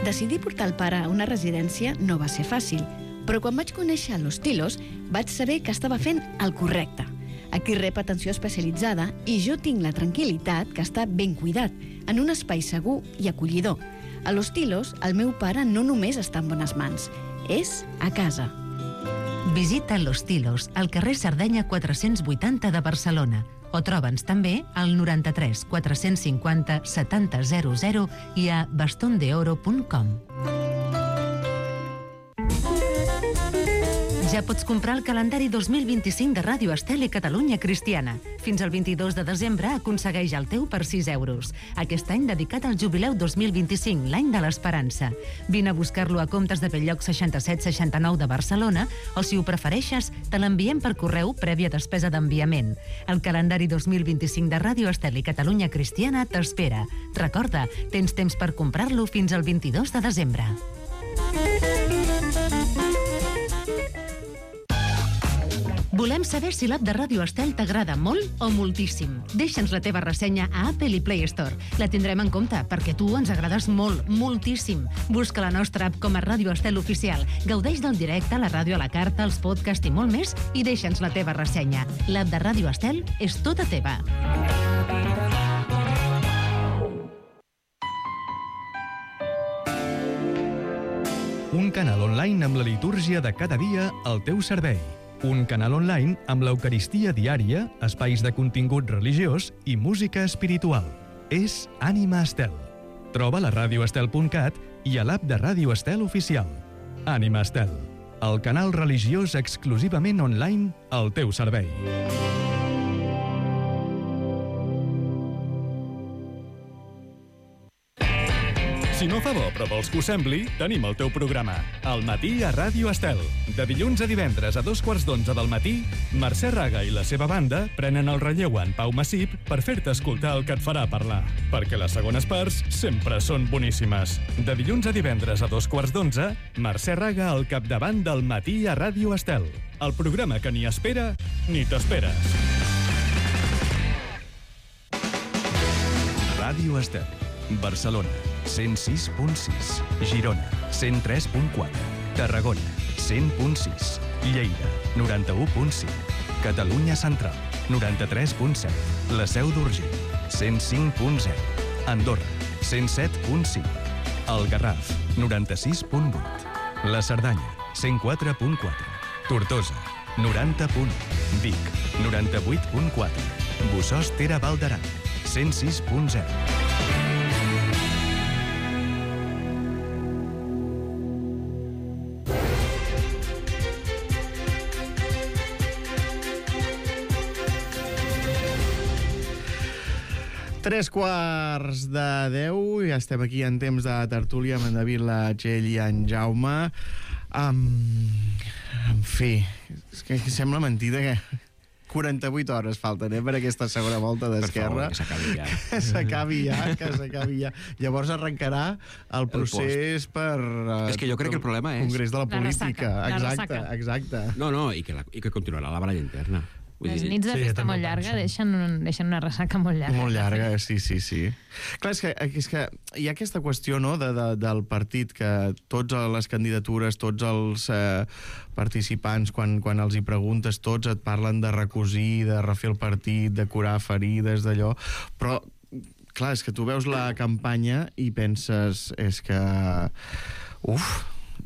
Decidir portar el pare a una residència no va ser fàcil, però quan vaig conèixer Los Tilos vaig saber que estava fent el correcte. Aquí rep atenció especialitzada i jo tinc la tranquil·litat que està ben cuidat, en un espai segur i acollidor. A Los Tilos, el meu pare no només està en bones mans, és a casa. Visita Los Tilos, al carrer Sardenya quatre-cents vuitanta de Barcelona, o troba'ns també al noranta-tres quatre-cents cinquanta setanta zero zero i a bastondeoro punt com. Ja pots comprar el calendari dos mil vint-i-cinc de Ràdio Estel i Catalunya Cristiana. Fins al vint-i-dos de desembre aconsegueix el teu per sis euros. Aquest any dedicat al jubileu dos mil vint-i-cinc, l'any de l'esperança. Vine a buscar-lo a Comptes de Belllloc seixanta-set seixanta-nou de Barcelona o, si ho prefereixes, te l'enviem per correu prèvia despesa d'enviament. El calendari dos mil vint-i-cinc de Ràdio Estel i Catalunya Cristiana t'espera. Recorda, tens temps per comprar-lo fins al vint-i-dos de desembre. Volem saber si l'app de Ràdio Estel t'agrada molt o moltíssim. Deixa'ns la teva ressenya a Apple i Play Store. La tindrem en compte, perquè tu ens agrades molt, moltíssim. Busca la nostra app com a Ràdio Estel Oficial. Gaudeix del directe, la ràdio a la carta, els podcasts i molt més, i deixa'ns la teva ressenya. L'app de Ràdio Estel és tota teva. Un canal online amb la litúrgia de cada dia al teu servei. Un canal online amb l'Eucaristia diària, espais de contingut religiós i música espiritual. És Ànima Estel. Troba-la a ràdio estel punt cat i a l'app de Ràdio Estel Oficial. Ànima Estel, el canal religiós exclusivament online al teu servei. Si no fa bo, però vols que ho sembli, tenim el teu programa. Al matí a Ràdio Estel. De dilluns a divendres a dos quarts d'onze del matí, Mercè Raga i la seva banda prenen el relleu en Pau Massip per fer-te escoltar el que et farà parlar. Perquè les segones parts sempre són boníssimes. De dilluns a divendres a dos quarts d'onze, Mercè Raga al capdavant del matí a Ràdio Estel. El programa que ni espera ni t'esperes. Ràdio Estel. Barcelona, cent sis punt sis. Girona, cent tres punt quatre. Tarragona, cent punt sis. Lleida, noranta-u punt cinc. Catalunya Central, noranta-tres punt set. La Seu d'Urgell, cent cinc punt zero. Andorra, cent set punt cinc. El Garraf, noranta-sis punt vuit. La Cerdanya, cent quatre punt quatre. Tortosa, noranta punt u. Vic, noranta-vuit punt quatre. Bossòst Val d'Aran, cent sis punt zero. Tres quarts de deu, ja estem aquí en temps de tertúlia amb en David, la Txell i en Jaume. Um, en fi, és que sembla mentida que quaranta-vuit hores falten eh, per aquesta segona volta d'Esquerra. Per favor, que s'acabi ja. Que s'acabi ja, que s'acabi ja. Llavors arrencarà el procés el per... Uh, és que jo crec que el problema és... Congrés de la, la Política. Ressaca, exacte, la exacte. No, no, i que, la, i que continuarà la baralla interna. Vull Les dir... nits de Sí, festa també molt llarga deixen, un, deixen una ressaca molt llarga. Molt llarga, sí, sí, sí. Clar, és que, és que hi ha aquesta qüestió, no?, de, de, del partit, que tots les candidatures, tots els eh, participants, quan, quan els hi preguntes, tots et parlen de recosir, de refer el partit, de curar ferides, d'allò, però clar, és que tu veus la campanya i penses, és que... Uf,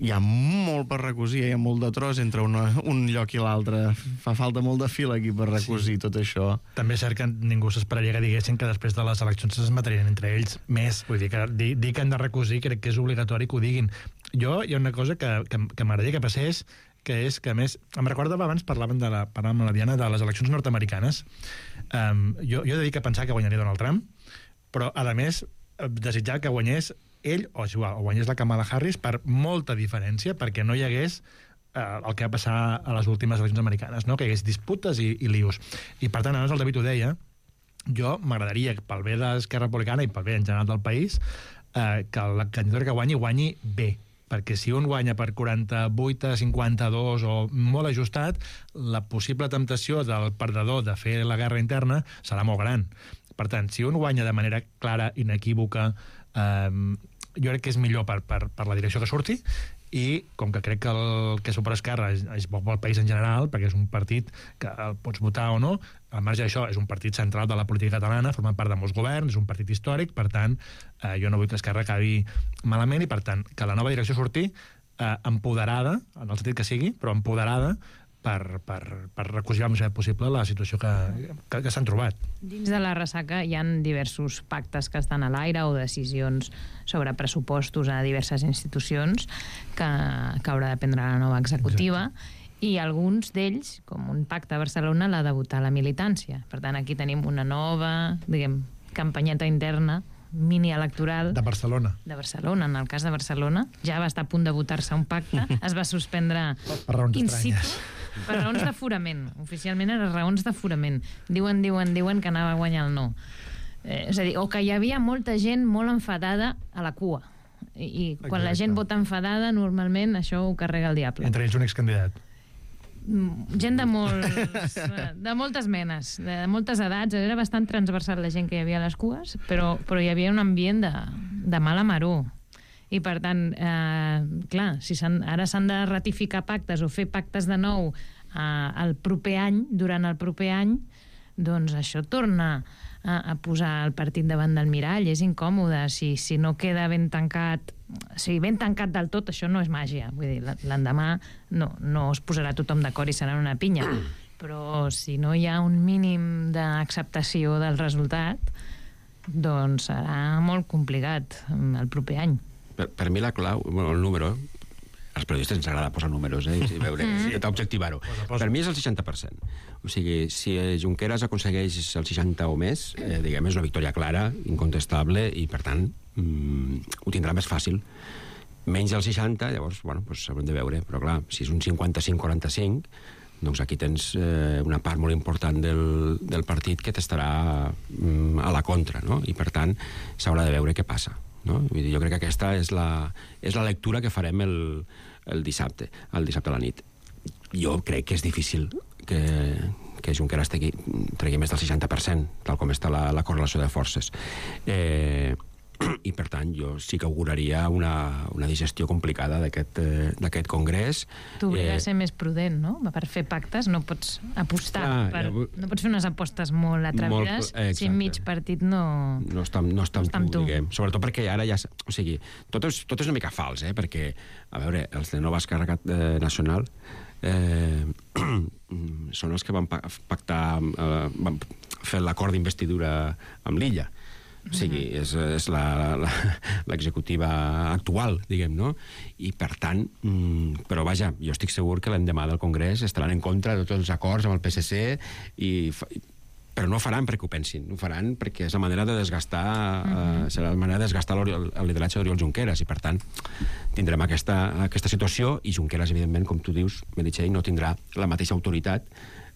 hi ha molt per recosir, hi ha molt de tros entre una, un lloc i l'altre. Fa falta molt de fil aquí per recosir sí. tot això. També és cert que ningú s'esperaria que diguessin que després de les eleccions es matarien entre ells més. Vull dir que dir, dir que han de recosir crec que és obligatori que ho diguin. Jo, hi ha una cosa que, que, que m'agradaria que passés, que és que, a més, em recordava abans, parlaven de la, parlàvem amb la Diana, de les eleccions nord-americanes. Um, jo, jo he de dir que pensava que guanyaria Donald Trump, però, a més, desitjar que guanyés ell o, o guanyés la Kamala Harris per molta diferència, perquè no hi hagués eh, el que va passar a les últimes eleccions americanes, no? Que hi hagués disputes i, i lius. I per tant, abans el David ho deia, jo m'agradaria, pel bé d'Esquerra Republicana i pel bé en general del país, eh, que la candidatura que guanyi, guanyi bé. Perquè si un guanya per quaranta-vuit a cinquanta-dos o molt ajustat, la possible temptació del perdedor de fer la guerra interna serà molt gran. Per tant, si un guanya de manera clara, inequívoca, eh, jo crec que és millor per, per, per la direcció que surti, i com que crec que el que és per Esquerra és, és bo pel país en general, perquè és un partit que el pots votar o no, al marge d'això és un partit central de la política catalana, forma part de molts governs, és un partit històric, per tant, eh, jo no vull que Esquerra acabi malament, i per tant, que la nova direcció surti eh, empoderada, en el sentit que sigui, però empoderada, per, per, per recosir el més possible la situació que, que, que s'han trobat. Dins de la ressaca hi ha diversos pactes que estan a l'aire o decisions sobre pressupostos a diverses institucions que, que haurà de prendre la nova executiva. Exacte. I alguns d'ells, com un pacte a Barcelona, l'ha de votar la militància. Per tant, aquí tenim una nova, diguem, campanyeta interna mini-electoral... De Barcelona. De Barcelona, en el cas de Barcelona. Ja va estar a punt de votar-se un pacte, es va suspendre... Per raons estranyes. Per raons d'aforament. Oficialment eren raons d'aforament. Diuen, diuen, diuen que anava a guanyar el no. Eh, és a dir, o que hi havia molta gent molt enfadada a la cua. I, i quan Exacte. La gent vota enfadada, normalment això ho carrega el diable. Entre ells un excandidat. Gent de, molts, de moltes menes, de moltes edats. Era bastant transversal la gent que hi havia a les cues, però, però hi havia un ambient de, de mala maror. I per tant, eh, clar, si ara s'han de ratificar pactes o fer pactes de nou eh, el proper any, durant el proper any, doncs això torna a, a posar el partit davant del mirall. És incòmode. Si, si no queda ben tancat, o sigui, ben tancat del tot, això no és màgia. Vull dir, l'endemà no, no es posarà tothom d'acord i serà una pinya. Però si no hi ha un mínim d'acceptació del resultat, doncs serà molt complicat el proper any. Per, per mi la clau, bueno, el número, als periodistes ens agrada posar números, eh, i veure, mm. i objectivar-ho. Per mi és el seixanta per cent. O sigui, si Junqueras aconsegueix el seixanta o més, eh, diguem, és una victòria clara, incontestable, i per tant mm, ho tindrà més fàcil. Menys del seixanta, llavors, bueno, doncs haurem de veure, però clar, si és un cinquanta-cinc quaranta-cinc, doncs aquí tens eh, una part molt important del, del partit que t'estarà mm, a la contra, no? I per tant s'haurà de veure què passa. No? Vull dir, jo crec que aquesta és la, és la lectura que farem el, el dissabte, el dissabte a la nit. Jo crec que és difícil que, que Junqueras tregui, tregui més del seixanta per cent, tal com està la, la correlació de forces. Eh, i per tant jo sí que auguraria una, una digestió complicada d'aquest eh, congrés. T'obliga eh, a ser més prudent, no? Per fer pactes no pots apostar, ah, per, ja, no pots fer unes apostes molt atrevides molt, eh, si mig partit no... No està, no està, no està amb tu, diguem. Sobretot perquè ara ja... O sigui, tot és, tot és una mica fals, eh? Perquè, a veure, els de Nova Esquerra eh, Nacional eh, són els que van pactar, eh, van fer l'acord d'investidura amb l'Illa. O sigui, és, és l'executiva actual, diguem, no? I, per tant, mm, però vaja, jo estic segur que l'endemà del Congrés estaran en contra de tots els acords amb el P S C, i, però no ho faran perquè ho pensin, ho faran perquè és la manera de desgastar, uh-huh. eh, serà la manera de desgastar el lideratge d'Oriol Junqueras, i, per tant, tindrem aquesta, aquesta situació, i Junqueras, evidentment, com tu dius, Meritxell, no tindrà la mateixa autoritat.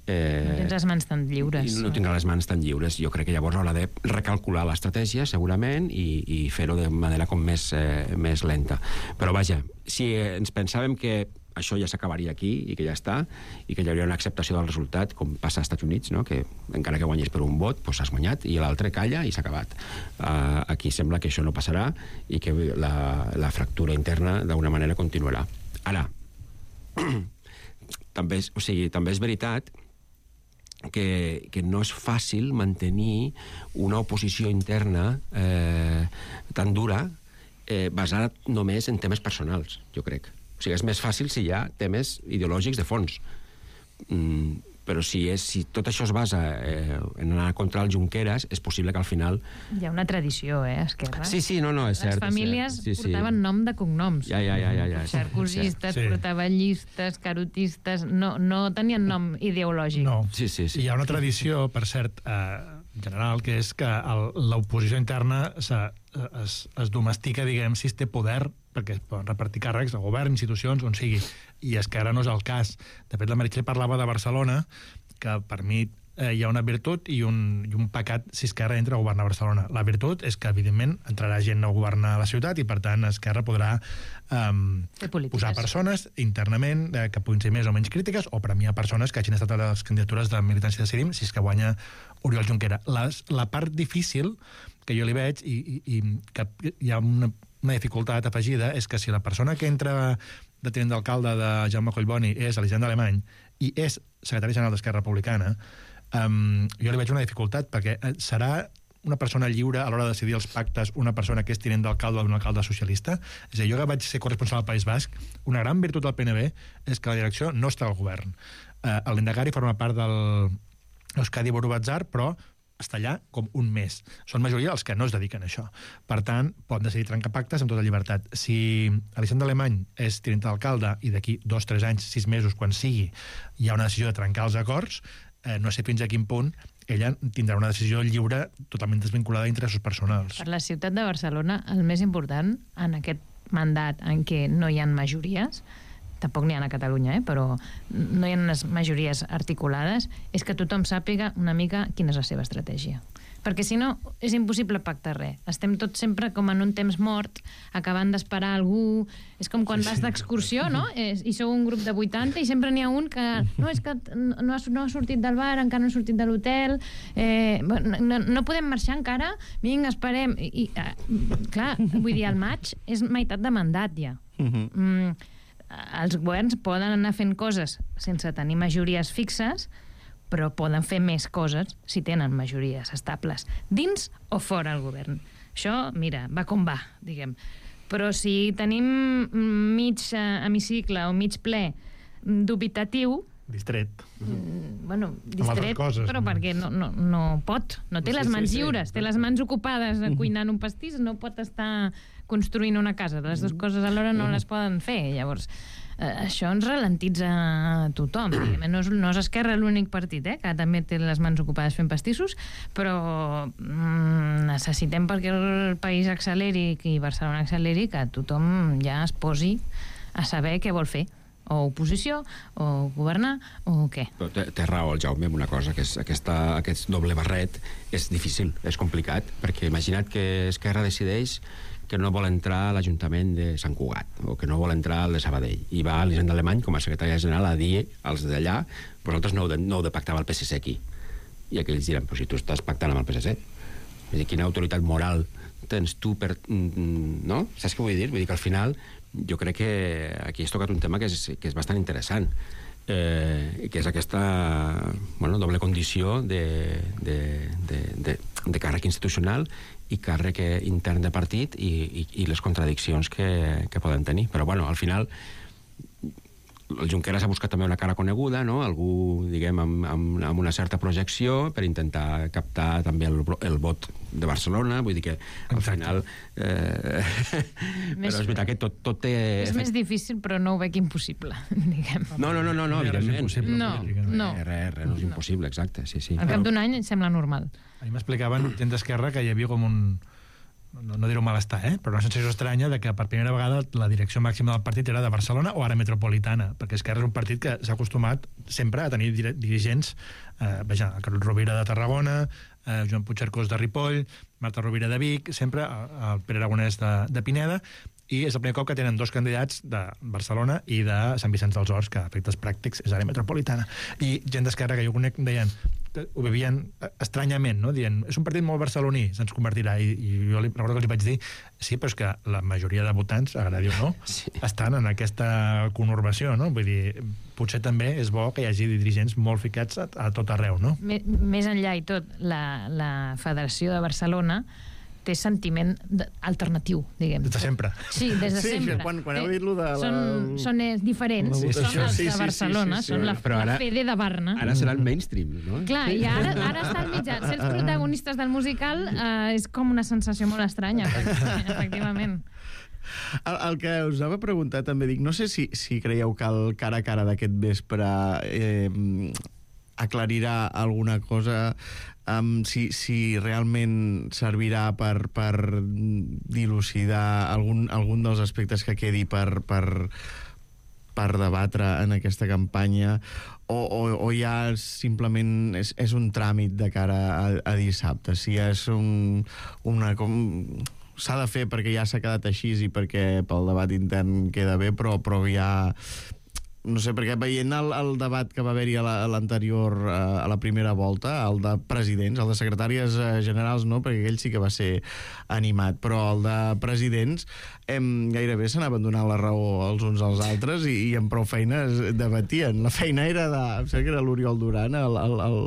Eh, no tens les mans tan lliures. No tindrà les mans tan lliures. Jo crec que llavors haurà de recalcular l'estratègia, segurament, i, i fer-ho de manera com més, eh, més lenta. Però vaja, si ens pensàvem que això ja s'acabaria aquí i que ja està, i que hi hauria una acceptació del resultat, com passa als Estats Units, no? Que encara que guanyis per un vot, doncs has guanyat, i l'altre calla i s'ha acabat. Uh, aquí sembla que això no passarà i que la, la fractura interna d'una manera continuarà. Ara, també és, o sigui, també és veritat Que, que no és fàcil mantenir una oposició interna eh, tan dura eh, basada només en temes personals, jo crec. O sigui, és més fàcil si hi ha temes ideològics de fons. Mm, però si, és, si tot això es basa eh, en anar contra el Junqueras, és possible que al final... Hi ha una tradició, eh, Esquerra? Sí, sí, no, no, és cert. Les famílies sí, sí. portaven nom de cognoms. Ja, ja, ja. ja, ja. Sarkozistes, sí. Portavellistes, carotistes... No, no tenien nom ideològic. No. Sí, sí, sí. Hi ha una tradició, per cert, eh, general, que és que l'oposició interna es, es domestica, diguem, si es té poder, perquè es poden repartir càrrecs a govern, institucions, on sigui, i Esquerra no és el cas. De fet, la Meritxell parlava de Barcelona, que per mi eh, hi ha una virtut i un, i un pecat si Esquerra entra a governar Barcelona. La virtut és que, evidentment, entrarà gent a governar la ciutat i, per tant, Esquerra podrà eh, posar persones internament eh, que puguin ser més o menys crítiques, o premiar persones que hagin estat a les candidatures de Militància Decidim, si és que guanya Oriol Junqueras. La, la part difícil que jo li veig, i, i, i que hi ha una una dificultat afegida, és que si la persona que entra de tinent d'alcalde de Jaume Collboni és Elisenda Alemany i és secretari general d'Esquerra Republicana, um, jo li veig una dificultat, perquè serà una persona lliure a l'hora de decidir els pactes una persona que és tinent d'alcalde d'un alcalde socialista? És a dir, jo que vaig ser corresponsal al País Basc, una gran virtut del P N B és que la direcció no està al govern. Uh, el Lendakari forma part del Euskadi Buru Batzar, però està allà com un mes. Són majoria els que no es dediquen a això. Per tant, poden decidir trencar pactes amb tota llibertat. Si Elisenda Alemany és tinent d'alcalde i d'aquí dos, tres anys, sis mesos, quan sigui, hi ha una decisió de trencar els acords, eh, no sé fins a quin punt ella tindrà una decisió lliure totalment desvinculada d'interessos personals. Per la ciutat de Barcelona, el més important en aquest mandat en què no hi ha majories, tampoc n'hi ha a Catalunya, eh? Però no hi ha unes majories articulades, és que tothom sàpiga una mica quina és la seva estratègia. Perquè si no, és impossible pactar res. Estem tots sempre com en un temps mort, acabant d'esperar algú... És com quan sí, vas d'excursió, no? I sou un grup de vuitanta i sempre n'hi ha un que... No, és que no ha, no ha sortit del bar, encara no ha sortit de l'hotel... Eh, no, no podem marxar encara? Vinga, esperem... I, eh, clar, vull dir, el maig és meitat de mandat, ja. Mhm. Mm, els governs poden anar fent coses sense tenir majories fixes, però poden fer més coses si tenen majories estables, dins o fora el govern. Això, mira, va com va, diguem. Però si tenim mig hemicicle o mig ple dubitatiu, distret. Mm, bueno, distret, coses, però no? Perquè no, no, no pot. No té sí, les mans sí, lliures, sí, té les mans ocupades cuinant un pastís, no pot estar construint una casa. Les dues coses alhora no les poden fer. Llavors, eh, això ens ralentitza a tothom. No és, no és Esquerra l'únic partit, eh, que també té les mans ocupades fent pastissos, però mm, necessitem perquè el país acceleri i Barcelona acceleri que tothom ja es posi a saber què vol fer, o oposició, o governar, o què. Però té, té raó el Jaume amb una cosa, que és aquesta, aquest doble barret és difícil, és complicat, perquè imagina't que Esquerra decideix que no vol entrar a l'Ajuntament de Sant Cugat o que no vol entrar al de Sabadell i va a l'Hisenda Alemany com a secretària general a dir als d'allà, vosaltres no heu de, no heu de pactar amb el P S C aquí. I aquells diran, però si tu estàs pactant amb el P S C, vull dir, quina autoritat moral tens tu per... no? Saps què vull dir? Vull dir que al final jo crec que aquí has tocat un tema que és, que és bastant interessant, eh, que és aquesta bueno, doble condició de, de, de, de, de càrrec institucional i càrrec intern de partit i, i, i les contradiccions que, que poden tenir. Però, bueno, al final el Junqueras ha buscat també una cara coneguda, no? Algú, diguem, amb, amb, amb una certa projecció per intentar captar també el, el vot de Barcelona, vull dir que al Exacte. final... Eh, més, però és veritat que tot, tot té... És més difícil, però no ho veig impossible, diguem. No, no, no, no, no evidentment. No, no. Res, res, no és impossible, exacte, sí, sí. Al cap d'un any em sembla normal. A mi m'explicaven gent d'Esquerra que hi havia com un... no, no dir-ho malestar, eh? Però una sensació estranya de que per primera vegada la direcció màxima del partit era de Barcelona o àrea metropolitana, perquè Esquerra és un partit que s'ha acostumat sempre a tenir dirigents, eh, veja, el Carlos Rovira de Tarragona, eh, Joan Puigcercós de Ripoll, Marta Rovira de Vic, sempre el Pere Aragonès de, de Pineda, i és el primer cop que tenen dos candidats de Barcelona i de Sant Vicenç dels Horts, que a efectes pràctics és àrea metropolitana. I gent d'Esquerra que jo conec deien, ho vivien estranyament, no? Dient, és un partit molt barceloní, se'ns convertirà. I, i jo li, recordo que li vaig dir, sí, però és que la majoria de votants, agradi o no, sí. estan en aquesta conurbació, no? Vull dir, potser també és bo que hi hagi dirigents molt ficats a, a tot arreu, no? Més enllà i tot, la, la Federació de Barcelona té sentiment alternatiu, diguem. Des de sempre. Sí, des de sí, sempre. Quan, quan heu dit lo de la... Són, són diferents, sí, sí, són els sí, de Barcelona, sí, sí, sí, sí. són la, ara, la Fede de Barna. Ara serà el mainstream, no? Clar, i ara, ara està al mitjà. Ser els protagonistes del musical eh, és com una sensació molt estranya, efectivament. El, el que us anava a preguntar també, dic, no sé si, si creieu que el cara a cara d'aquest vespre eh, aclarirà alguna cosa, um, si, si realment servirà per, per dilucidar algun, algun dels aspectes que quedi per, per, per debatre en aquesta campanya, o, o, o ja simplement és, és un tràmit de cara a, a dissabte, si és un, una... com s'ha de fer perquè ja s'ha quedat així i perquè pel debat intern queda bé, però, però ja... No sé, perquè veient el, el debat que va haver-hi a l'anterior, a la primera volta, el de presidents, el de secretàries generals no, perquè aquell sí que va ser animat, però el de presidents em, gairebé s'anaven donant la raó els uns als altres i, i amb prou feines debatien. La feina era de... Em sembla que era l'Oriol Duran, el, el, el,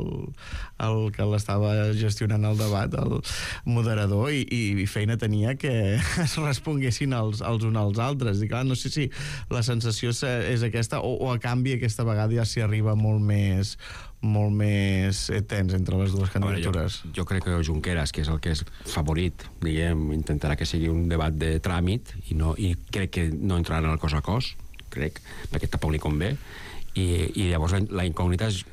el que l'estava gestionant el debat, el moderador, i, i feina tenia que es responguessin els, els uns als altres. I clar, no sé si la sensació és aquesta, o, o a canvi aquesta vegada ja s'hi arriba molt més molt més tens entre les dues candidatures. Jo, jo crec que Junqueras, que és el que és favorit, diguem, intentarà que sigui un debat de tràmit i, no, i crec que no entrarà en el cos a cos, crec, perquè tampoc li convé. I, i llavors la, la incògnita és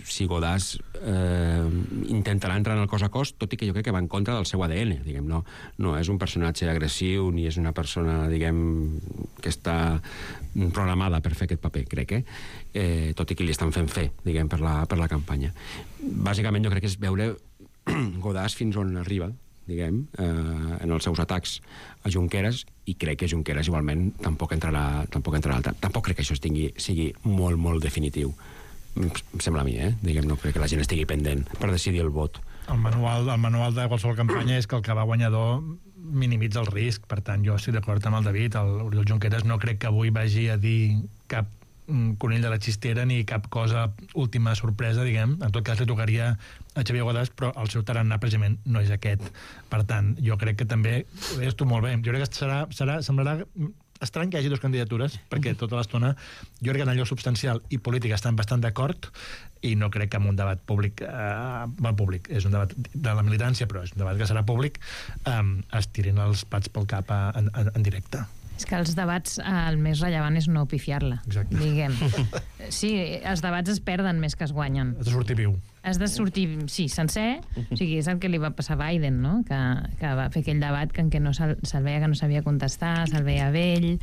si Godàs eh, intentarà entrar en el cos a cos, tot i que jo crec que va en contra del seu A D N, diguem, no, no és un personatge agressiu ni és una persona, diguem, que està programada per fer aquest paper, crec, eh? Eh, tot i que li estan fent fer, diguem, per la, per la campanya. Bàsicament jo crec que és veure Godàs fins on arriba, diguem, eh, en els seus atacs a Junqueras, i crec que Junqueras igualment tampoc entrarà, tampoc entrarà al tampoc crec que això estigui, sigui molt, molt definitiu. Em sembla a mi, eh? Diguem, no crec que la gent estigui pendent per decidir el vot. El manual, el manual de qualsevol campanya és que el que va guanyador minimitza el risc, per tant jo estic d'acord amb el David, el Oriol Junqueras no crec que avui vagi a dir cap conill de la xistera ni cap cosa última sorpresa, diguem. En tot cas li tocaria a Xavier Godàs, però el seu tarannà precisament no és aquest. Per tant, jo crec que també ho deies tu molt bé, jo crec que serà, serà, semblarà estrany que hi hagi dues candidatures, perquè tota l'estona jo crec que en allò substancial i polític estan bastant d'acord, i no crec que en un debat públic, eh, bueno, públic, és un debat de la militància, però és un debat que serà públic, eh, es tirin els pats pel cap a, en, en, en directe. És que els debats, el més rellevant és no pifiar-la, diguem. Sí, els debats es perden més que es guanyen. Has de sortir viu. Has de sortir, sí, sencer. O sigui, és el que li va passar a Biden, no? Que, que va fer aquell debat que en què no se'l se veia que no sabia contestar, se'l veia vell,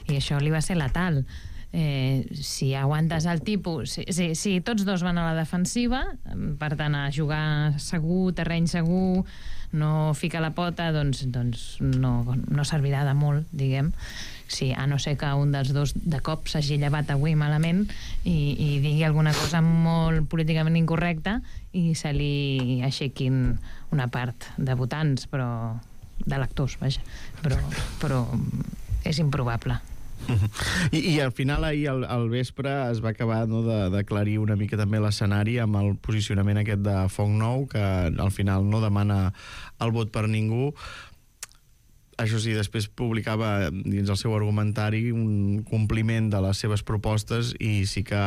i això li va ser letal. Eh, si aguantes el tipus... Si, si, si tots dos van a la defensiva, per tant, a jugar segur, terreny segur, no fica la pota, doncs, doncs no, no servirà de molt, diguem. Sí, a no ser que un dels dos de cop s'hagi llevat avui malament i, i digui alguna cosa molt políticament incorrecta i se li aixequin una part de votants, però de lectors, vaja. Però, però és improbable. I, i al final ahir al, al vespre es va acabar, no, de d'aclarir una mica també l'escenari amb el posicionament aquest de Foc Nou, que al final no demana el vot per ningú. Això sí, després publicava dins el seu argumentari un compliment de les seves propostes i sí que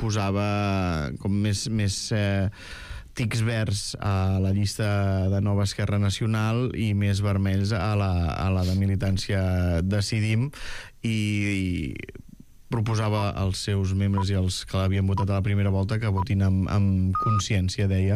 posava com més, més eh, tics verds a la llista de Nova Esquerra Nacional i més vermells a la, a la de militància Decidim, i, i proposava als seus membres i als que l'havien votat a la primera volta que votin amb, amb consciència, deia,